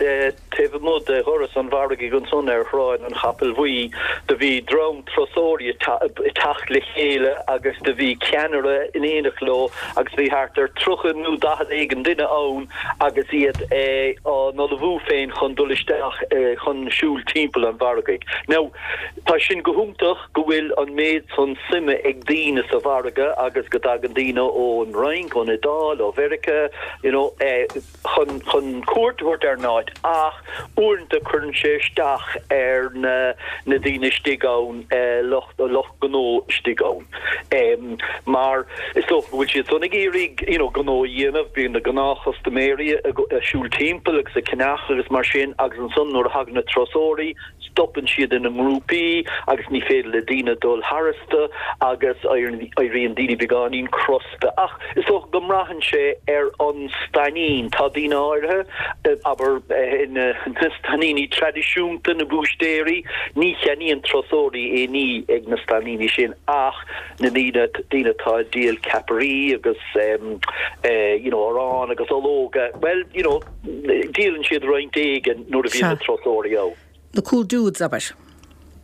Taobh amuigh de dhoras an mhargaidh ansan ar Shráid an Chapaill Bhuí do bhí dream turasóirí ag teacht le chéile agus do bhí ceannaire in éineacht leo agus bhí thart ar 30 nó 40 éigin duine ann agus iad á n-ullmhú féin chun dul isteach chun siúl timpeall an mhargaidh. Now, tá sin go hiontach go bhfuil an méid san suime ag daoine sa mhargadh agus go dtagann daoine ón Fhrainc, ón Iodáil, ó Mheiriceá, you know, chun chun cuairt a thabhairt ar an áit ach uaireanta cuireann sé isteach ar na na daoine istigh ann, lucht lucht gnó istigh ann. Mar is dócha go bhfuil siad san ag iarraidh you know gnó a dhéanamh, bíonn na gnáthchustaiméirí ag siúl timpeall agus ag ceannach agus mar sin agus ansan nuair a thagann na turasóirí stopann siad ina ngrúpaí agus ní féidir le daoine dul tharstu agus éiríonn daoine beagáinín crosta. Ach is dócha go mbraitheann sé ar an stainín. Tá daoine áirithe, abair na stainíní traidisiúnta, na búistéirí, ní cheannaíonn turasóirí aon ní ag na stainíní sin ach na daoine, daoine atá ag díol ceapairí agus you know arán agus ológa, bhuel you know, Díolann siad roinnt éigin nuair a bhíonn na turasóirí ann. The cool dudes, abair.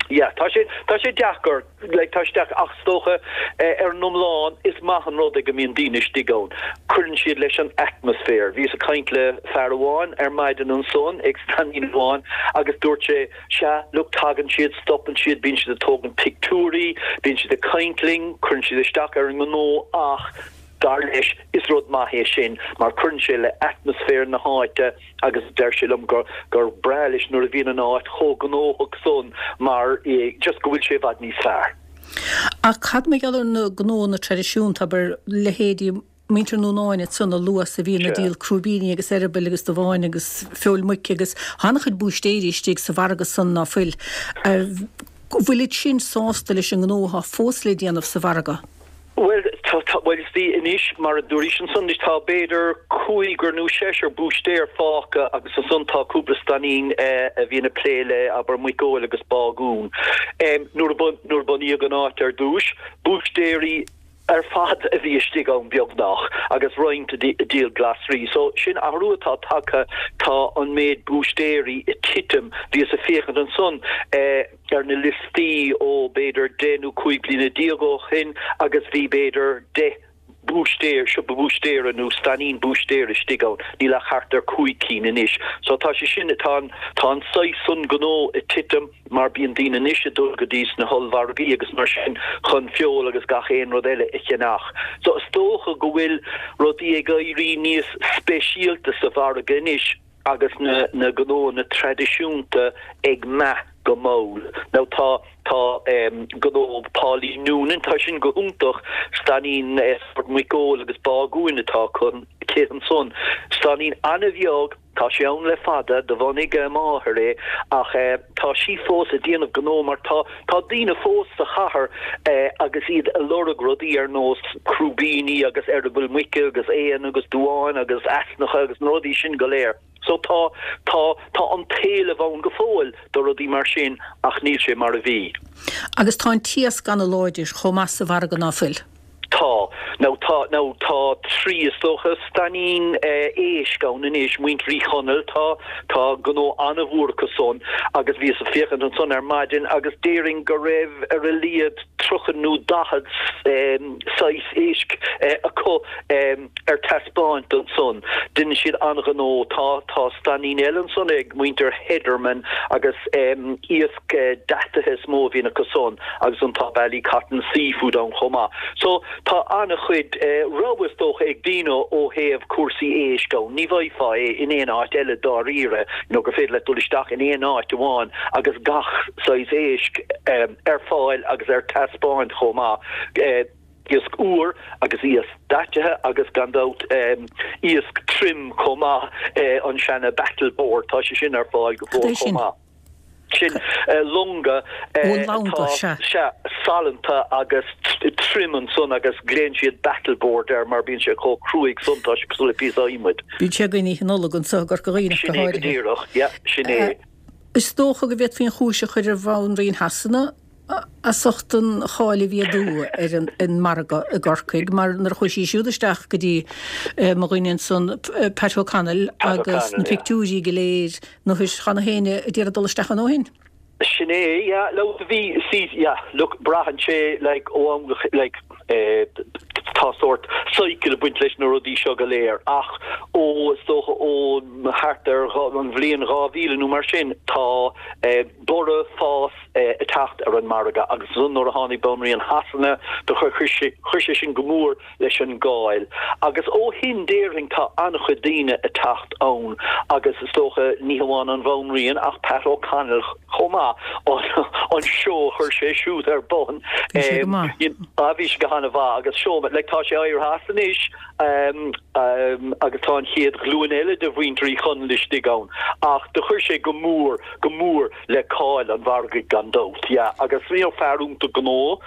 Yeah, tá sé, tá sé deacair, like, tá sé deacair, ach is dócha, ar an iomlán, is maith an rud é go mbíonn daoine istigh ann. Cuireann siad leis an atmaisféar. Bhíos ag caint le fear amháin ar maidin ansan, ag stainín amháin, agus dúirt sé, sea, look, tagann siad, stopann siad, bíonn siad ag tógaint pictiúirí, bíonn siad ag caint linn, cuireann siad isteach ar an ngnó ach, Dar leis, is rud maith é sin mar cuireann sé le atmaisféar na háite agus deir sé liom gur gur breá leis nuair a bhíonn an áit chomh gnóthach san mar just go bhfuil sé i bhfad níos fearr. Ach cad mar gheall ar na gnóanna traidisiúnta, abair, leithéidí muintir Núnáin ansan a luas a bhíonn ag díol crúibíní agus eireabaill agus duáin agus feoil muice agus tá an-chuid búistéirí istigh sa mhargadh san ná fuil. Bhfuilid sin sásta leis an ngnó atá fós le déanamh sa mhargadh? Bhuel, tá, tá, bhuel, is bhí anois, mar a dúraís ansan, anois tá b'fhéidir cúigear nó seisear búistéir fágtha agus ansan tá cúpla stainín a bhíonn ag plé le, abair, muiceoil agus bágún. Nuair a bun, nuair a bunaíodh an áit ar dtúis, búistéirí ar fad a bhí istigh ann beagnach agus roinnt ag díol glasraí. So, sin athrú atá tagtha, tá an méid búistéirí ag titim. Bhíos ag féachaint ansan, ar na liostaí ó b'fhéidir 10 nó 15 bliana ó shin agus bhí b'fhéidir 10 búistéir, siopa búistéara nó stainín búistéara istigh ann, níl ach thart ar 5 cinn anois. So tá sé sin, tá an, tá an saghas san gnó ag titim mar bíonn daoine anois ag dul go dtí sna hollmhargaí agus mar sin chun feoil agus gach aon rud eile a cheannach. So is dócha go bhfuil rudaí ag éirí níos speisialta sa mhargadh anois. agus na na gnóanna traidisiúnta ag meath go mall. Now tá tá gnó Pauline Noonan, tá sin go hiontach, stainín sórt muiceoil agus bágúin atá aici ansan. Stainín an-bheag, tá sé ann le fada, do bhunaigh a máthair é ach tá sí fós ag déanamh gnó mar tá tá daoine fós sa chathair agus iad ag lorg rudaí ar nós crúibíní agus eireaball muice agus aon agus duáin agus easnacha agus na rudaí sin go léir. So tá, tá, tá an t-éileamh ann go fóill do rudaí mar sin ach níl sé mar a bhí. Agus tá an t-iasc ana-láidir chomh maith sa mhargadh ná fuil? Tá. Now tá, now tá trí, is dócha, stainín éisc ann anois, Muintir Uí Chonaill, tá, tá gnó an-mhór acu san agus bhíos ag féachaint ansan ar maidin agus déarfainn go raibh ar a laghad. 30 nó 40 saghas éisc acu ar taispeáint ansan. Deineann siad an-ghnó. Tá tá stainín eile ansan ag muintir Hederman agus iasc deataithe is mó a bhíonn acu san agus ansan tá Ballycotton Seafood ann chomh maith. So tá an-chuid rogha is dócha ag daoine ó thaobh cúrsaí éisc ann. Ní bhfaighfeá é in aon áit eile dáiríre, you know, gur féidir leat dul isteach in aon áit amháin agus gach saghas éisc ar fáil agus ar taispeáint chomh maith. Iasc úr agus iasc daitithe agus gan dabht iasc tirim chomh maith, an seana battle board, tá sé sin ar fáil go fóill chomh maith. Sin longa atá, sea, salanta agus tirim ansan agus glaonn siad battle board air mar bíonn sé chomh cruaidh san, tá sé cosúil le píosa adhmaid. Bíonn sé againn Oíche Nollag anso i gCorca Dhuibhne ach go háirithe. Sin é go díreach, yeah, sin é. Is dócha go bhféadfaí an chúis a chur ar Bhanríon Shasana as ucht an cháil a bhí aduaidh ar an margadh i gCorcaigh, mar nuair a chuaigh sí siúd isteach go dtí mo dhuine ansan, Pat O'Connell, agus na pictiúirí go léir, nó chan éinne a d'iarraidh dul isteach ann ó shin. Sin é, yeah, look, bhí, see, yeah, look, braitheann sé, like, ó am go, like, eh, tá sórt cycle ag baint leis na rudaí seo go léir, ach ó, is dócha, ó thart ar an bhliain 2000 nó mar sin, tá, eh, borradh, fás, eh, ag teacht ar an margadh agus ansan nuair a tháinig Banríon Shasana, do chuir, chuir sé, chuir sé sin go mór leis an gcáil. Agus ó shin déarfainn tá an-chuid daoine ag teacht ann agus is dócha ní hamháin an Bhanríon ach Pat O'Connell chomh maith, an seó a chuir sé siúd ar bun. Bhí sé go maith. Ah bhí sé go han-mhaith agus seó, like tá sé éirithe as anois agus tá an chéad ghlúin eile de mhuintir Uí Chonaill istigh ann ach do chuir sé go mór, go mór le cáil an mhargaidh gan dabht, yeah. Agus you know fear iontach gnó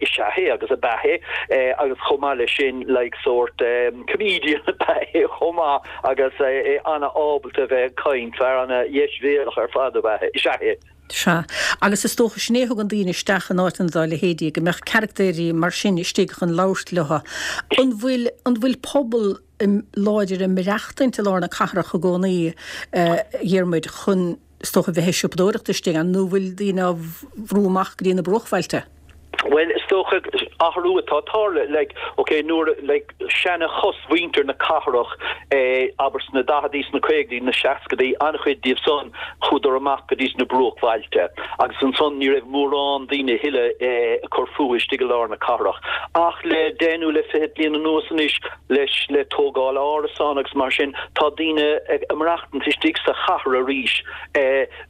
is ea é agus ab ea é agus chomh maith leis sin like sórt comedian ab ea é chomh maith agus é ana-ábalta a bheith ag caint, fear ana-dheisbhéalach ar fad ab ea é, is ea é. Sea. Agus is dócha sin é a thugann daoine isteach in áiteanna dá leithéidí, go mbeadh caractéirí mar sin istigh chun labhairt leo. An bhfuil, an bhfuil pobal láidir ag maireachtaint i lár na cathrach i gcónaí, a Dhiarmuid, chun is dócha, bheith ag siopadóireacht istigh ann, nó bhfuil daoine á bhrú amach go dtí na bruachbhailte? Bhuel, is dócha, athrú atá ag tarlú, like, ok, nuair, like, seana chosmhuintir na cathrach, eh, abair sna daicheadaí, sna caogaidí, na seascadaí, an-chuid díobh san, chuadar amach go dtí sna bruachbhailte, agus ansan ní raibh mórán daoine a thuilleadh, eh, ag cur fúthu istigh i lár na cathrach. Ach le deich nó le 20 bliain anuas anois, leis, le tógáil árasán agus mar sin, tá daoine ag maireachtaint istigh sa chathair arís,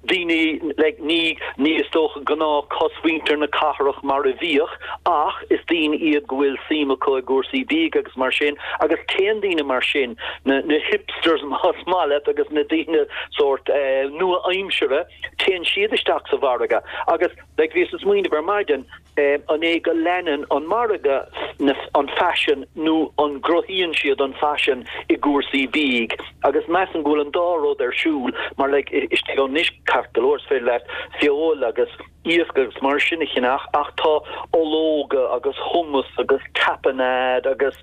daoine, like, ní, ní is dócha gnáth cosmhuintir na cathrach mar a bhíodh ach is daoine iad go bhfuil suim acu i gcúrsaí bídh agus mar sin agus téann daoine mar sin, na, na hipsters más maith leat agus na daoine sórt nua-aimsire, téann siad isteach sa mhargadh agus, like, bhíos ag smaoineamh ar maidin, An é go leanann an margadh an faisean nó an gcruthaíonn siad an faisean i gcúrsaí bídh? Agus measaim go bhfuil an dá rud ar siúl mar like istigh ann anois ceart go leor is féidir leat feoil agus iasc agus mar sin a cheannach ach tá ológa agus hummus agus tapenade agus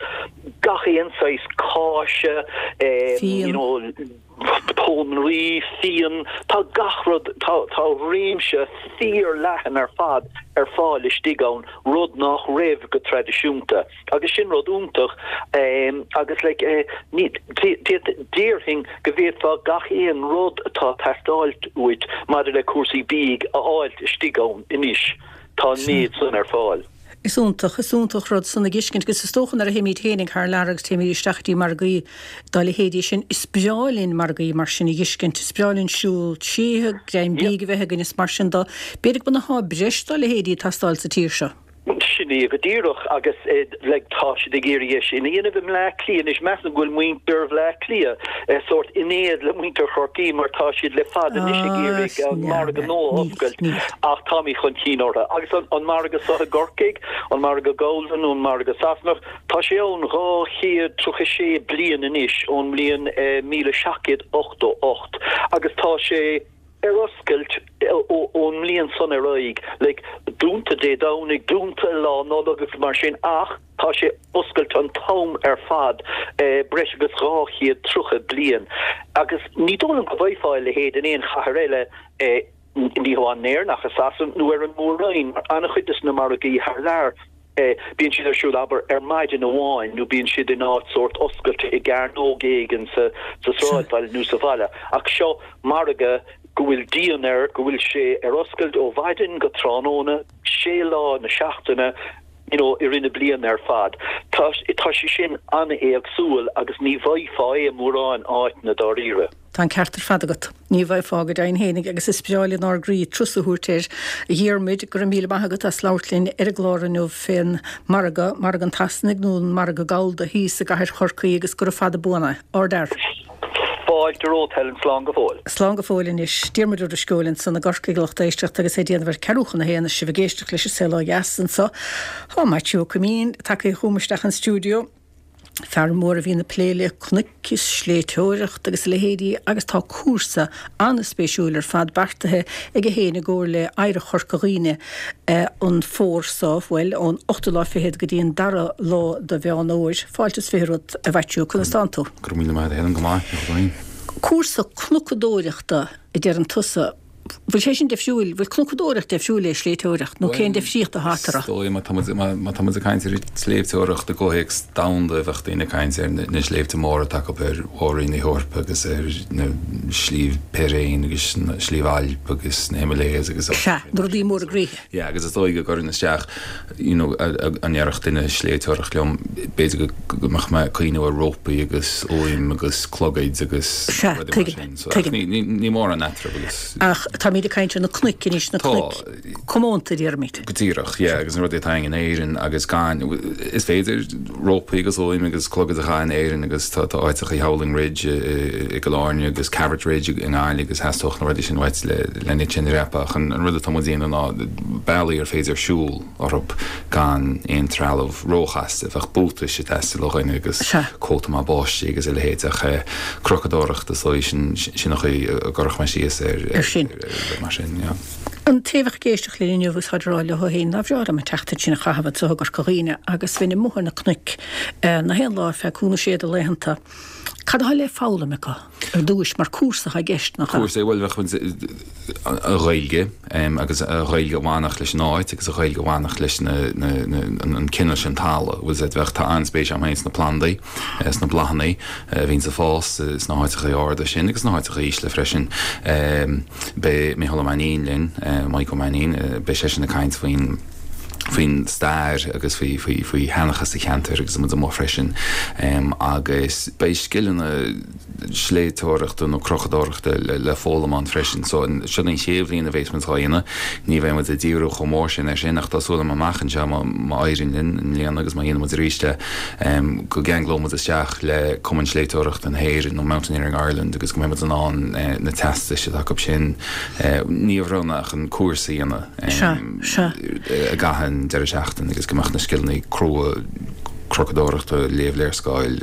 gach aon saghas cáise you know Pónairí, fíon, tá gach rud, tá, tá réimse fíor-leathan ar fad ar fáil istigh ann, rud nach raibh go traidisiúnta. Agus sin rud iontach agus like ní, déarfainn go bhféadfá gach aon rud atá ag teastáil uait maidir le cúrsaí bídh a fháilt istigh ann anois. Tá an méid san ar fáil. Is iontach, is iontach rud san a dh'fheiscint agus is dócha nuair a théimid féinig thar lear agus téimid isteach go dtí margaí dá leithéidí sin, is breá linn margaí mar sin a dh'fheiscint, is breá linn siúl tríothu, greim bídh a bheith againn is mar sin do. B'fhéidir go mbeadh breis dá leithéidí ag teastáil sa tír seo. Sin é go díreach agus like tá siad ag iarraidh é sin a dhéanamh i mBleá Cliath anois. Measaim go bhfuil muintir Bhleá Cliath sórt in éad le muintir Chorcaí mar tá siad le fada anois ag iarraidh an margadh nua a oscailt ach táimid chun cinn orthu. Agus an margadh seo i gCorcaigh, an margadh Golden nó an margadh Sasanach, tá sé ann 236 bliain anois ón mbliain 1788 agus tá sé ar oscailt ón mbliain san ar aghaidh, like, dúnta Dé Domhnaigh, dúnta Lá Nollag agus mar sin ach tá sé oscailte an t-am ar fad, breis agus 230 bliain. Agus ní dóigh liom go bhfaighfeá a leithéid in aon chathair eile. Ní hamháin in Éirinn ach i Sasana nó ar an Mór-Roinn, mar an-chuid de na margaí thar lear, bíonn siad ar siúl, abair, ar maidin amháin nó bíonn siad in áit sórt oscailte i gcearnóg éigin sa sráidbhaile nó sa bhaile. Ach seo margadh go bhfuil díon air, go bhfuil sé ar oscailt ó mhaidin go tráthnóna, sé lá na seachtaine, you know, i rith na bliana ar fad. Tá, tá sé sin an-éagsúil agus ní bhfaighfeá é i mórán áiteanna dáiríre. Tá an ceart ar fad agat. Ní bhfaighfeá go deimhin fhéinig agus is breá linn ár gcroí turas a thabhairt air. A Dhiarmuid, go raibh míle maith agat as labhairt linn ar an gclár inniu fén margadh, Margadh an tSasanaigh nó an Margadh Gallda thíos i gcathair Chorcaí agus gura fada buan é. Ardfhear. Fáilte romhat, Helen. Slán go fóill. Slán go fóill anois. Diarmuid Ó Drisceoil ansan i gCorcaigh, a lucht éisteachta agus é ag déanamh ar ceathrú chun a haon is sibh ag éisteacht leis an Saol Ó Dheas anso. Tá Maitiú Ó Coimín tagtha chugam isteach an stiúideo. Fear mór a bhíonn ag plé le cnoic is sléibhteoireacht agus a leithéidí agus tá cúrsa an-spéisiúil ar fad beartaithe aige féin i gcomhar le Oidhreacht Chorca Dhuibhne an fómhar seo, bhuel, ón ochtú lá fichead go dtí an dara lá de Mheán Fhómhair. Fáilte is 20 romhat, a Mhaitiú, conas tánn tú? Go raibh míle maith agat, a Helen, go maith, go maith. Cúrsa cnocadóireachta a deireann tusa. Bhfuil sé sin difriúil, bhfuil cnocadóireacht difriúil le sléibhteoireacht nó cén difríocht atá eatarthu? Is dóigh, má tá muid, má tá muid ag caint ar sléibhteoireacht i gcomhthéacs domhanda, bheadh daoine ag caint ar na sléibhte móra atá acu ar mhór-roinn na hEorpa agus ar na Sliabh Piréin agus na Sliabh Ailp agus na Himalayas agus. Sea, na rudaí móra groíthe. Yeah, agus is dóigh go gcuirfinn isteach, you know, dá ndéarfadh duine sléibhteoireacht liom, b'fhéidir go mbeadh mé ag cuimhneamh ar rópaí agus úim agus clogaid agus Sea, rudaí mar tuigim, sin. So, ach tuigim. ní, ní, ní mórán eatarthu agus. Ach táimid ag caint ar na cnoic anois, na Tá. cnoic comónta, déarfaimid. Go díreach, yeah, agus na rudaí atá againn in Éirinn agus gan, is féidir rópaí agus úim agus clogaid a chaitheamh in Éirinn agus tá, tá áiteacha Howling Ridge i, i, i gCill Airne agus Cavert Ridge i nGaillimh agus theastódh na rudaí sin uait le, le iad sin a dhreapadh ach an, an rud atá muid a dhéanamh ná bealaí ar féidir siúl orthu gan aon trealamh róchasta. Bheadh buatais ag teastáil ó dhuine agus Sea. cóta maith báistí agus a leithéid ach cnocadóireacht is dóigh sin, sin an chaoi a gcuirfeadh mé síos ar, Ar sin. ar rud mar sin, yeah. An té a bheadh ag éisteacht linn inniu agus táid ag rá leo féin nár bhreá liom an tseachtain sin a chaitheamh anso i gCorca Dhuibhne agus bheinn amuigh ar na cnoic na haon lá ar feadh cúig nó sé de laethanta. Cad atá le foghlaim acu ar dtúis mar cúrsa atá i gceist, nach ea? Cúrsa é, bhuel bheadh muid an Ghaeilge agus an Ghaeilge a bhainfeadh leis an áit agus an Ghaeilge a bhainfeadh leis na an cineál sin talamh. Bhfuil 's agat bheadh tá an-spéis agam féin sna plandaí, sna bláthanna a bhíonns ag fás sna háiteacha arda sin agus sna háiteacha ísle freisin. Beidh Micheál Ó Mainnín linn, Mike Ó Mainnín, beidh seisean ag caint faoin faoin stair agus faoi faoi faoi sheanchas an cheantair agus muid amuigh freisin agus beidh scileanna sléibhteoireachta nó crochadóireachta le foghlaim ann freisin. So seo an chéad bhliain a bheas muid á dhéanamh. Ní bheidh muid ag díriú chomh mór sin air sin ach tá súil agam amach anseo má má éiríonn linn i mbliana agus má dhéanann muid arís é go gceanglóidh muid isteach le Cumann Sléibhteoireachta na hÉireann nó Mountaineering Ireland agus go mbeidh muid in ann na teastais atá acu sin ní a bhronnadh ach an cúrsa a dhéanamh Sea, sea. i gcaitheamh an deireadh seachtaine agus go mbeadh na scileanna crua crochadóireachta, léamh léarscáil,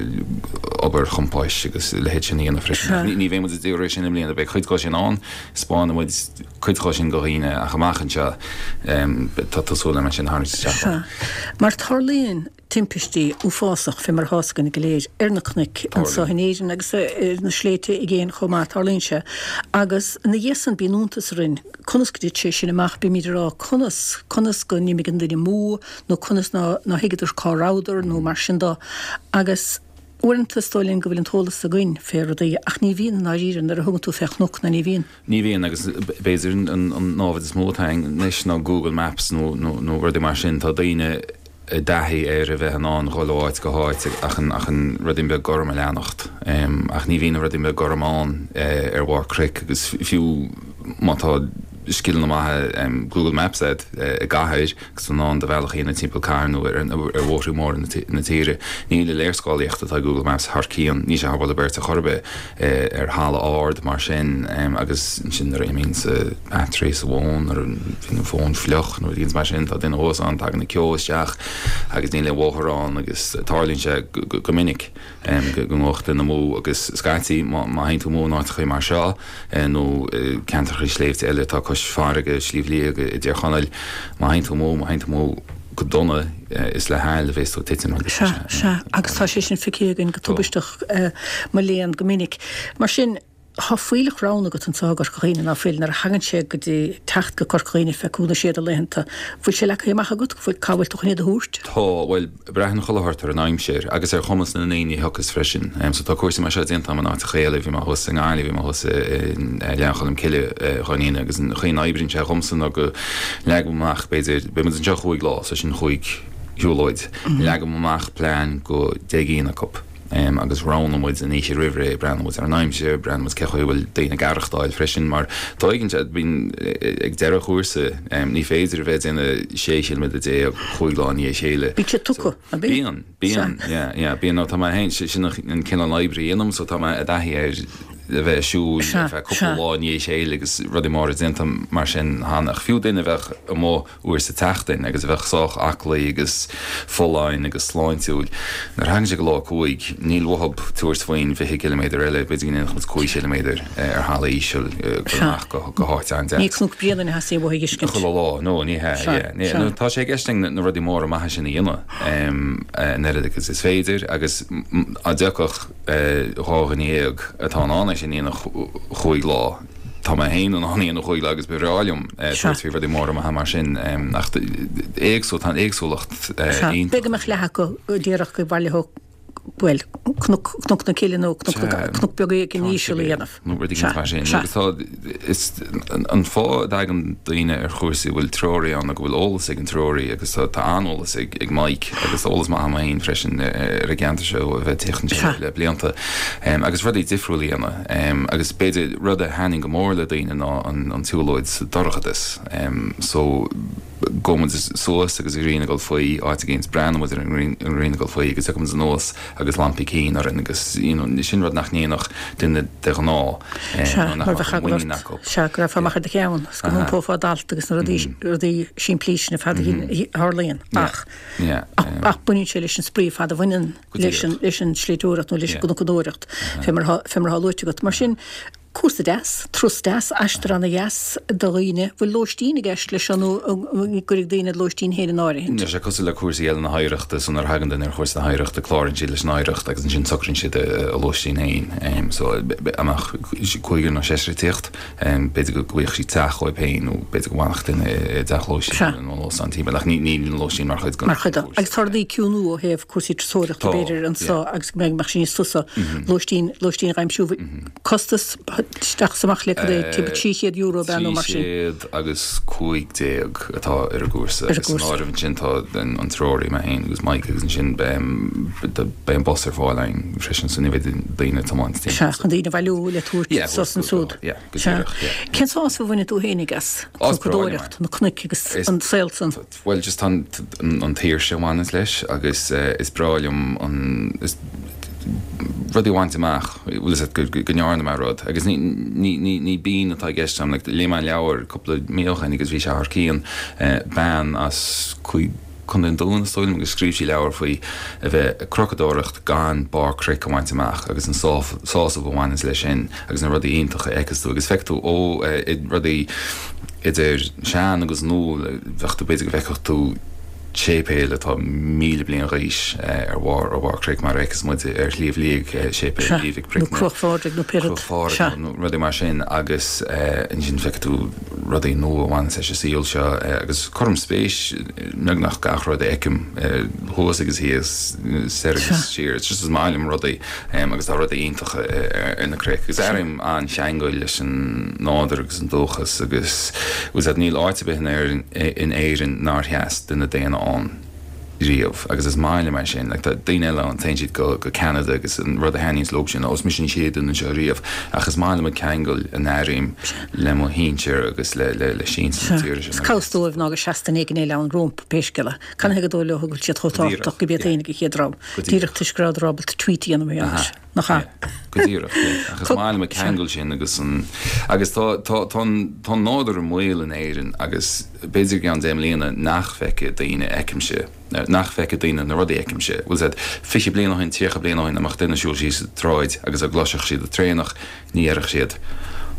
obair chompáis agus a leithéid sin a dhéanamh freisin. Sea. Ní bheidh muid ag díriú air sin i mbliana, beidh cuid dhó sin ann, 'spáinfidh muid cuid dhó sin do dhaoine ach amach anseo tá súil agam é sin a tharraingt isteach. Sea. Mar tarlaíonn timpistí uafásach, fé mar atá 'fhios againn go léir, ar na cnoic anso in Éirinn agus ar na sléibhte i gcéin chomh maith, tarlaíonn sé. Agus ina dhiaidh san bíonn iontas orainn conas go dtit sé sin amach, bímid ag rá conas, conas go n-imigh an duine amú nó conas ná ná thuigeadar cá rabhadar nó mar sin do. Agus uaireanta is dóigh linn go bhfuil an t-eolas againn fé rudaí ach ní bhíonn i ndáiríre nuair a thugann tú fé chnoc ná ní bhíonn. Ní bhíonn agus b'fhéidir an námhaid is mó atá againn anois ná Google Maps nó nó rudaí mar sin. Tá daoine i dtaithí ar a bheith in ann dhul ó áit go háit ach an ach an ruidín beag gorm a leanacht. Ach ní bhíonn an ruidín beag gorm ann ar bharr cnoic agus fiú má tá scileanna maithe Google Maps agat i gcathair, agus in ann do bhealach a dhéanamh timpeall cathair nó ar bhóithre móra na tíre. Níl an léarscáilíocht atá ag Google Maps thar cionn, níl sé thar bualadh beirt ar chor ar bith ar thalamh ard mar sin agus ansin nuair a imíonn battery sa bhfón, nuair a bhíonn an fón fliuch nó rudaí mar sin, tá duine thuas ann, tagann an ceo isteach agus níl aon bhóthar ann agus tarlaíonn sé go minic. go ngabhfadh duine amú agus scaití má théann tú amú in áiteachaí mar seo nó i ceantrachaí sléibhte eile atá cois farraige, Sliabh Liag i dTír Chonaill, má théann tú amú, má théann tú amú go dona, is le haill a bhéas tú ag titim agus Sea, sea, agus tá sé sin feicthe againn go tubaisteach, mo léan, go minic. Mar sin. Tá fuílleach roghanna agat anseo i gCorca Dhuibhne, ná fuil, nuair a thagann sé go dtí teacht go Corca Dhuibhne fé cúl na séad laethanta. Bhfuil sé leagtha amach agat? Bhfuil, cá bhfuil tú chun iad a thabhairt? Tá, bhuel, braitheann chuile shórt ar an aimsir agus ar chumas na ndaoine a thiocfas freisin. So tá cúrsaí mar seo déanta agam in áiteacha eile, bhí mé thuas i nGaillimh, bhí mé thuas i nGleann Cholm Cille dhá ndéanamh agus an chaoi a n-oibríonn sé dhomsa ná go leagaim amach b'fhéidir, beidh muid anseo chúig lá, so sin chúig shiúlóid, leagaim amach plean go deich gcinn acu. agus roghnaíonn muid an oíche roimh ré, breathnaíonn muid ar an aimsir, breathnaíonn muid cé chaoi a bhfuil daoine ag aireachtáil freisin mar tá éiginnte, bíonn ag deireadh chúrsa, ní féidir a bheith ag déanamh 16 chiliméadar chúig lá i ndiaidh a chéile. Bíonn siad tugtha, an bíonn? Bíonn, bíonn, yeah, yeah, bíonn, nó tá mé féin, sin an cineál oibre a dhéanaim so tá mé i dtaithí ar a bheith ag siúl ar feadh cúpla lá i ndiaidh a chéile agus rudaí móra déanta mar sin cheana ach fiú duine a bheadh amuigh uair sa tseachtain agus a bheadh sách aclaí agus folláin agus sláintiúil. Nuair a thagann sé go lá 5, níl uathub tabhairt faoin bhfiche ciliméadar eile, b'fhéidir go ndéanfadh muid 5 chiliméadar ar thalamh íseal dul amach go háit an-deas. Ní Cnoc Bréanainn a theastaíonn uathu a fheiscint. Chuile lá, no, ní hea, yeah. Nó tá sé i gceist againn na rudaí móra maithe sin a dhéanamh an oiread agus is féidir agus dá dtiocfadh 12 dhuine atá in ann é sin a dhéanamh chúig lá, Tá mé féin in ann é a dhéanamh chúig lá agus ba bhreá liom tabhairt faoi rudaí móra maithe mar sin ach éagsúil, tá an éagsúlacht iontach. B'fhéidir go mbeadh leath acu díreach go bhaileodh, bhuel, Cnoc, Cnoc na Cille nó Cnoc na, Cnoc beag éigin íseal a dhéanamh. Nó rud éigin mar sin. Agus tá, is, an fáth a dtagann daoine ar chúrsaí a bhfuil treoraí ann ná go bhfuil eolas ag an treoraí agus tá, tá an-eolas ag, ag Mike agus eolas maith agam féin freisin ar an gceantar seo ó a bheith ag tíocht anseo le blianta agus rudaí difriúla a dhéanamh. Agus b'fhéidir rud a thaitníonn go mór le daoine ná an tsiúlóid sa dorchadas. So gabhann muid suas agus an ghrian ag dul faoi, áit éigin, breathnaíonn muid ar an ngrian ag dul faoi agus tiocfaidh muid anuas agus lampaí cinn orainn agus you know sin rud nach ndéanfadh duine de ghnáth nó nach mbeadh an mhuinín acu. Sea, go raibh amach ar do cheann is go n-iompófá d'alt agus na rudaí rudaí simplí sin ar fad a tharlaíonn ach ach baineann sé leis an spraoi ar fad a bhaineann leis an, leis an sléibhteoireacht nó leis an gcnocadóireacht, fé mar atá, fé mar atá luaite agat. Mar sin, cúrsa deas, turas deas, aistear ana-dheas do dhaoine. Bhfuil lóistín i gceist leis seo nó an gcuirfidh daoine a lóistín féin in áirithint? Tá sé cosúil le cúrsaí eile na hOidhreachta, so nuair a thagann duine ar chúrsa na hOidhreachta, cláraíonn siad leis an Oidhreacht agus ansin socraíonn siad a lóistín féin. So, dá mbeadh cúigear nó seisear ag tíocht, B'fhéidir go bhfaigheadh siad teach dóibh féin nó b'fhéidir go bhfanfadh duine i dteach lóistín nó in óstán timpeall ach níl an lóistín mar chuid den Mar chuid de. Agus tá rudaí ag ciúnú ó thaobh cúrsaí turasóireachta b'fhéidir anseo agus go mbeidh sé níos fusa lóistín, lóistín a aimsiú. Costas isteach is amach le cad é, timpeall €300 ab ea nó mar sin? 315 atá ar an gcúrsa agus san áireamh ansin tá an treoraí, mé féin agus Mike agus ansin beidh an bus ar fáil againn freisin so ní bheidh daoine ag tiomáint timpeall. Sea, chun daoine a bhailiú le tabhairt suas ansúd. Yeah, go díreach, yeah. Cén sásamh a bhaineann tú fhéinig as cnocadóireacht, na cnoic agus an saol san? Bhuel, just tá an tsaoirse a bhaineanns leis agus is breá liom an, is, rudaí a bhaint amach, bhfuil fhios agat, go, go ndearna mé rud agus ní, ní, ní, ní bean atá i gceist agam, like, léigh mé an leabhar cúpla mí ó shin agus bhí sé thar cionn, bean as Contae an Dúin is dóigh liom agus scríobh sí leabhar faoi a bheith ag crocadóireacht gan barr cnoic a bhaint amach agus an sásamh a bhaineanns leis sin agus na rudaí iontacha a fheiceas tú agus feiceann tú ó rudaí idir sean agus nua bheadh tú b'fhéidir go bhfeicfeadh tú séipéal atá 1,000 bliain d'aois ar bharr ar bharr cnoic mar a fheiceas muid ar Shliabh Liag séipéal Naomh Mhic Bricne. Nó Cruach Phádraig nó pé rud. Cruach Phádraig nó rudaí mar sin agus ansin feicfidh tú rudaí nua a bhaineanns leis an saol seo agus cuirim spéis i mbeagnach gach rud a fheicim thuas agus thíos, soir agus siar. It's just is maith liom rudaí agus tá rudaí iontacha ar na cnoic agus airím an-cheangal leis an nádúr agus an dúchas agus bhfuil fhios agat níl áit ar bith in Éirinn nár sheas duine daonna ann riamh agus is maith liom é sin. Like tá daoine eile ann téann siad go go Ceanada agus an rud a thaitníonns leo sin ó is mise an chéad duine anseo riamh ach is maith liom an ceangal a n-airím le mo shinsir agus le le le sinsir na tíre sin. Is cá bhfios dóibh ná gur sheas duine éigin eile ann rompu pé scéal é. Canathaobh gur dóigh leo go bhfuil siad chomh tábhachtach gurb iad féin an chéad dream? Díreach toisc go rabhadar ábalta tweet a dhéanamh mar gheall air. Nach ea? Go díreach, yeah. Ach is maith liom an ceangal sin agus an, agus tá, tá, tá an, tá an nádúr i mbaol in Éirinn agus b'fhéidir i gceann deich mbliana nach bhfeicfidh daoine a fheicimse, nach bhfeicfidh daoine na rudaí a fheicimse. Bhfuil fhios agat, 20 bliain ó shin, 30 bliain ó shin, dá mbeadh duine ag siúl síos an tsráid agus dá gcloisfeadh siad an traonach, ní dhéarfadh siad.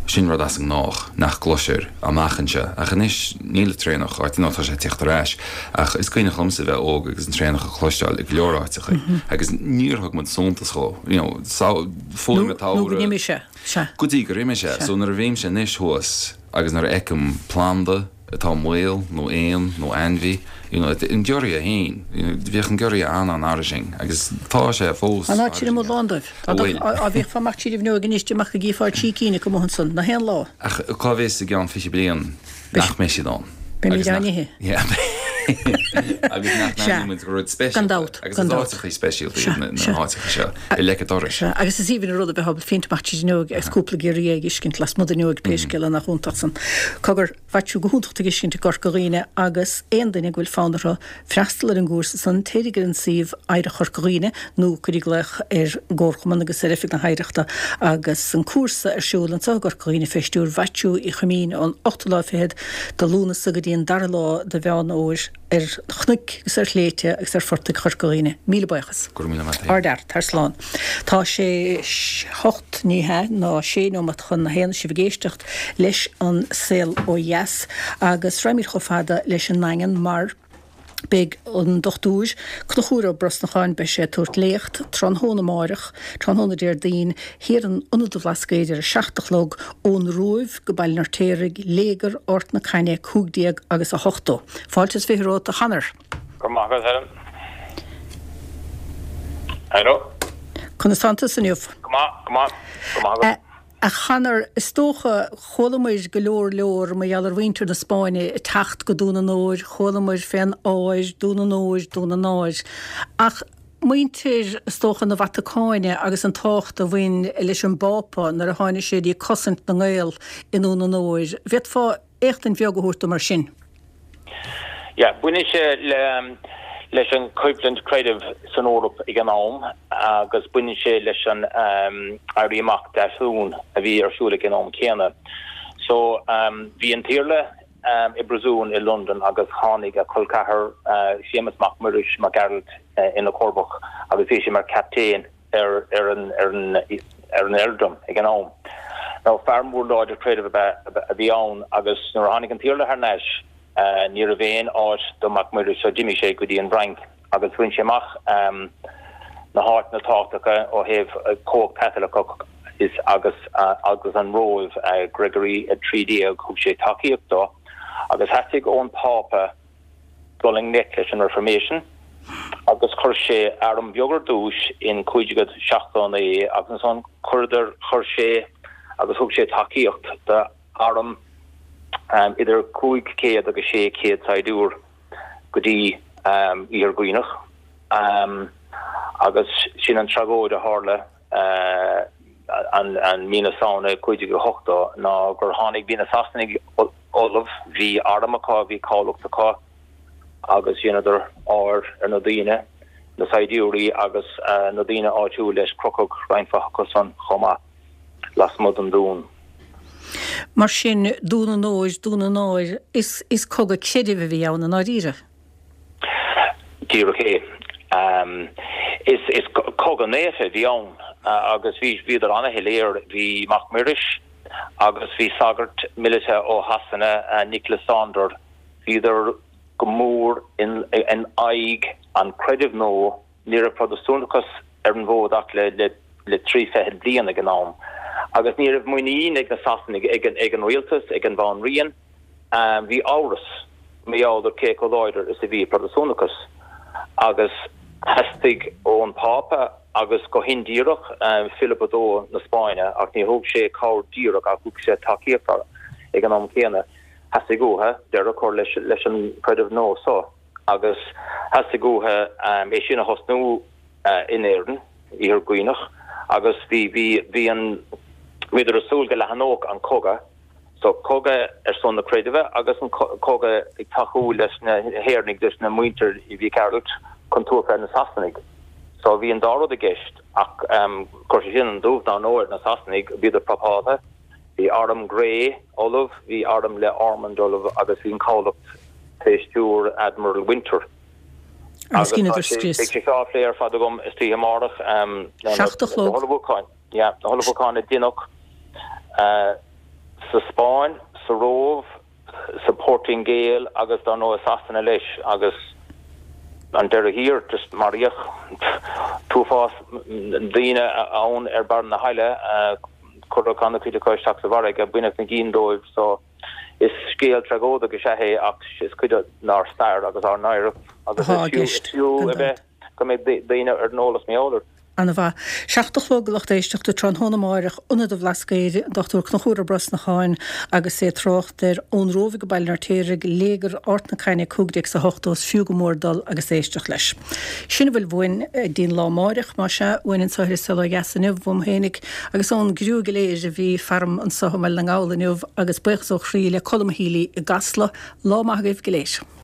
Sin rud as an ngnách nach gcloisir amach anseo. Ach anois níl an traonach áit, nó tá sé ag tíocht ar ais. Ach is cuimhneach liomsa bheith óg agus an traonach a chloisteáil i go leor áiteacha. Agus níor thug muid suntas dhó. You know, fuaim an tsamhraidh. Nó go n-imigh sé. Sea. Go dtí gur imigh sé. So nuair a bhímse anois thuas agus nuair a fheicim planda, atá i mbaol, nó éan, nó ainmhí, you know, an giorria féin, you know, bhíodh an giorria an-an-fhairsing agus tá sé fós An áit sin amuigh lán dóibh. Dá bhfuil. Dá bhféachfá amach tríd an bhfuinneoig anois amach go gcífeá trí cinn acu amuigh ansan, nach aon lá. Ach cá bhfios i gceann 20 bliain nach mbeidh siad ann. Beimid á n-ithe. Yeah. Agus nach Sea. n-aithníonn muid gur rud Gan speisialta dabht, agus gan is dabht. áiteachaí speisialta Sea, iad na sea. háiteacha seo i leic an dorais. Sea, agus is aoibhinn an rud a bheith ábalta féachaint amach tríd an fhuinneoig agus cúpla giorria ag uiscint lasmuigh den fhuinneoig pé scéal é nach iontach san. Cogar, Mhaitiú, go hiontach tú ag tuiscint i gCorca Dhuibhne agus aon duine go bhfuil fonn orthu freastal ar an gcúrsa san, téirig ar an suíomh Oidhreacht Chorca Dhuibhne nó cuirig glaoch ar an gComharchumann agus ar Oifig na hOidhreachta agus an cúrsa ar siúl anseo i gCorca Dhuibhne fé stiúir Mhaitiú Uí Choimín ón ochtú lá fichead de Lúnasa go dtí an dara lá de Mheán Fhómhair ar chnoic agus ar shléibhte agus ar phortaigh Chorca Dhuibhne. Míle buíochas. Go raibh míle maith agat. Ardfhear. Tar slán. Tá sé hocht, ní hea, ná sé neomat chun a haon, sibh ag éisteacht leis an Saol Ó Dheas agus raghaimid chomh fada leis an nDaingean mar beidh an Dochtúir Conchúr Ó Brosnacháin, beidh sé ag tabhairt léacht tráthnóna amáireach, tráthnóna Déardaoin, thiar in Ionad an Bhlascaoid ar a 7 a chlog, ón Róimh go Baile an Fheirtéaraigh, Léigear Ard na Caithne 15 agus 80. Fáilte is 20 romhat a Chonor. Go raibh maith agat, Helen. Hello. Conas tánn tusa inniu? Go maith, go maith, go maith agat. A Chonor, is dócha, chualamair go leor leor mar gheall ar mhuintir na Spáinne ag teacht go Dún an Óir, chualamair fén ár, Dún an Óir, Dún an Áir. Ach muintir, is dócha, na Vatacáine agus an tábhacht a bhain leis an bPápa nuair a tháinig sé dtí cosaint na nGael i nDún an Óir, bhféadfá éachtaint bheag a thabhairt dom ar sin? Yeah, baineann sé le leis an choimhlint creidimh san Eoraip ag an am agus baineann sé leis an Éirí Amach Deasmhumhan a bhí ar siúl ag an am céanna. So bhí an tIarla i bpríosún i Londain agus tháinig a chol ceathar Séamus Mac Muiris Mac Gearailt ina chomharba agus bhí sé mar chaptaen ar ar an ar an ar an earldom ag an am. Now fear mór láidir creidimh ab ea a bhí ann agus nuair a tháinig an tIarla thar n-ais ní raibh aon áit do Mac Muiris so d'imigh sé go dtí an bhFrainc agus bhain sé amach na háiteanna tábhachtacha ó thaobh cumhacht Caitliceach is agus agus an Róimh Gregory 13 thug sé tacaíocht dó agus theastaigh ón Phápa dul i ngleic leis an Reformation agus chuir sé arm beag ar dtús in 1579 agus ansan chuireadar, chuir sé agus thug sé tacaíocht do arm idir 500 agus 600 saighdiúir go dtí Iarthar Dhuibhneach agus sin an tragóid a tharla an mí na Samhna 1580 ná gur tháinig, bhí na Sasanaigh ullamh, bhí arm acu, bhí cabhlach acu agus dheineadar ár ar na daoine, na saighdiúirí agus na daoine áitiúil leis, crochadh roinnt mhaith acu san chomh maith lasmuigh den dún. Mar sin, Dún an Óir, Dún an Áir, is is cogadh creidimh a bhí ann i ndáiríre. Díreach é. Is is cogadh naofa a bhí ann agus bhí bhíodar ana-shoiléir. Bhí Mac Muiris agus bhí sagart míleata ó Shasana, Nicholas Saunders, bhíodar go mór in aghaidh an chreidimh nua. Ní raibh Protastúnachas ar an bhfód ach le le 30 bliain ag an am agus ní raibh muinín ag na Sasanaigh, ag an rialtas, ag an bhanríon. Bhí amhras mar gheall ar cé chomh láidir is a bhí Protastúnachas agus theastaigh ón Phápa agus go hindíreach Philip a Dó na Spáinne, ach ní thug sé cabhair díreach ach thug sé tacaíocht ag an am céanna, theastaigh uathu deireadh a chur leis an chreideamh nua so agus theastaigh uathu é sin a thosnú in Éirinn, Iarthar Dhuibhneach, agus bhí bhí bhí an bhíodar ag súil go leathnódh an cogadh. So, cogadh ar son na creidimhe agus an cogadh ag tacú leis na hÉireannaigh, leis na muintir Mhic Gearailt chun tabhairt fé na Sasanaigh. So, bhí an dá rud i gceist ach chuir sé sin an dubh dár ndóigh ar na Sasanaigh, bhíodar prapáltha, bhí arm Grey ullamh, bhí arm le Ormond ullamh agus bhí an cabhlach fé stiúir Admiral Winter. Agus dheineadar scrios. Beidh sé seo á phlé ar fad agam istoíche amárach. 7 a chlog. Yeah, na hullmhúcháin a deineadh. sa Spáinn, sa Róimh, sa Phortaingéil agus dar ndóigh i Sasana leis agus an deireadh thiar just maraíodh t-uafás daoine ann ar barr na haille, cuireadh an-chuid acu isteach sa bhfarraige, baineadh na gcinn dóibh so is scéal tragóideach is ea é ach is cuid dár stair agus ár n-oidhreacht agus is fiú a bheith go mbeidh daoine ar an eolas mar gheall air. Ana-mhaith. 7 a chlog a lucht éisteachta tráthnóna amáireach, Ionad an Bhlascaoid, an Dr Conchúr Ó Brosnacháin agus é ag trácht ar Ón Róimh go Baile an Fheirtéaraigh, Léigear Ard na Caithne 1580, is fiú go mór dul agus éisteacht leis. Sin a bhfuil uainn dtí'n lá amáireach, más ea, uainn anseo ar An Saol Ó Dheas inniu, uaim fhéinig agus ón gcriú go léir a bhí faram anseo i mBaile na nGall inniu agus buíochas ó chroí le Colm Healy i gCasla. Lá maith agaibh go léir.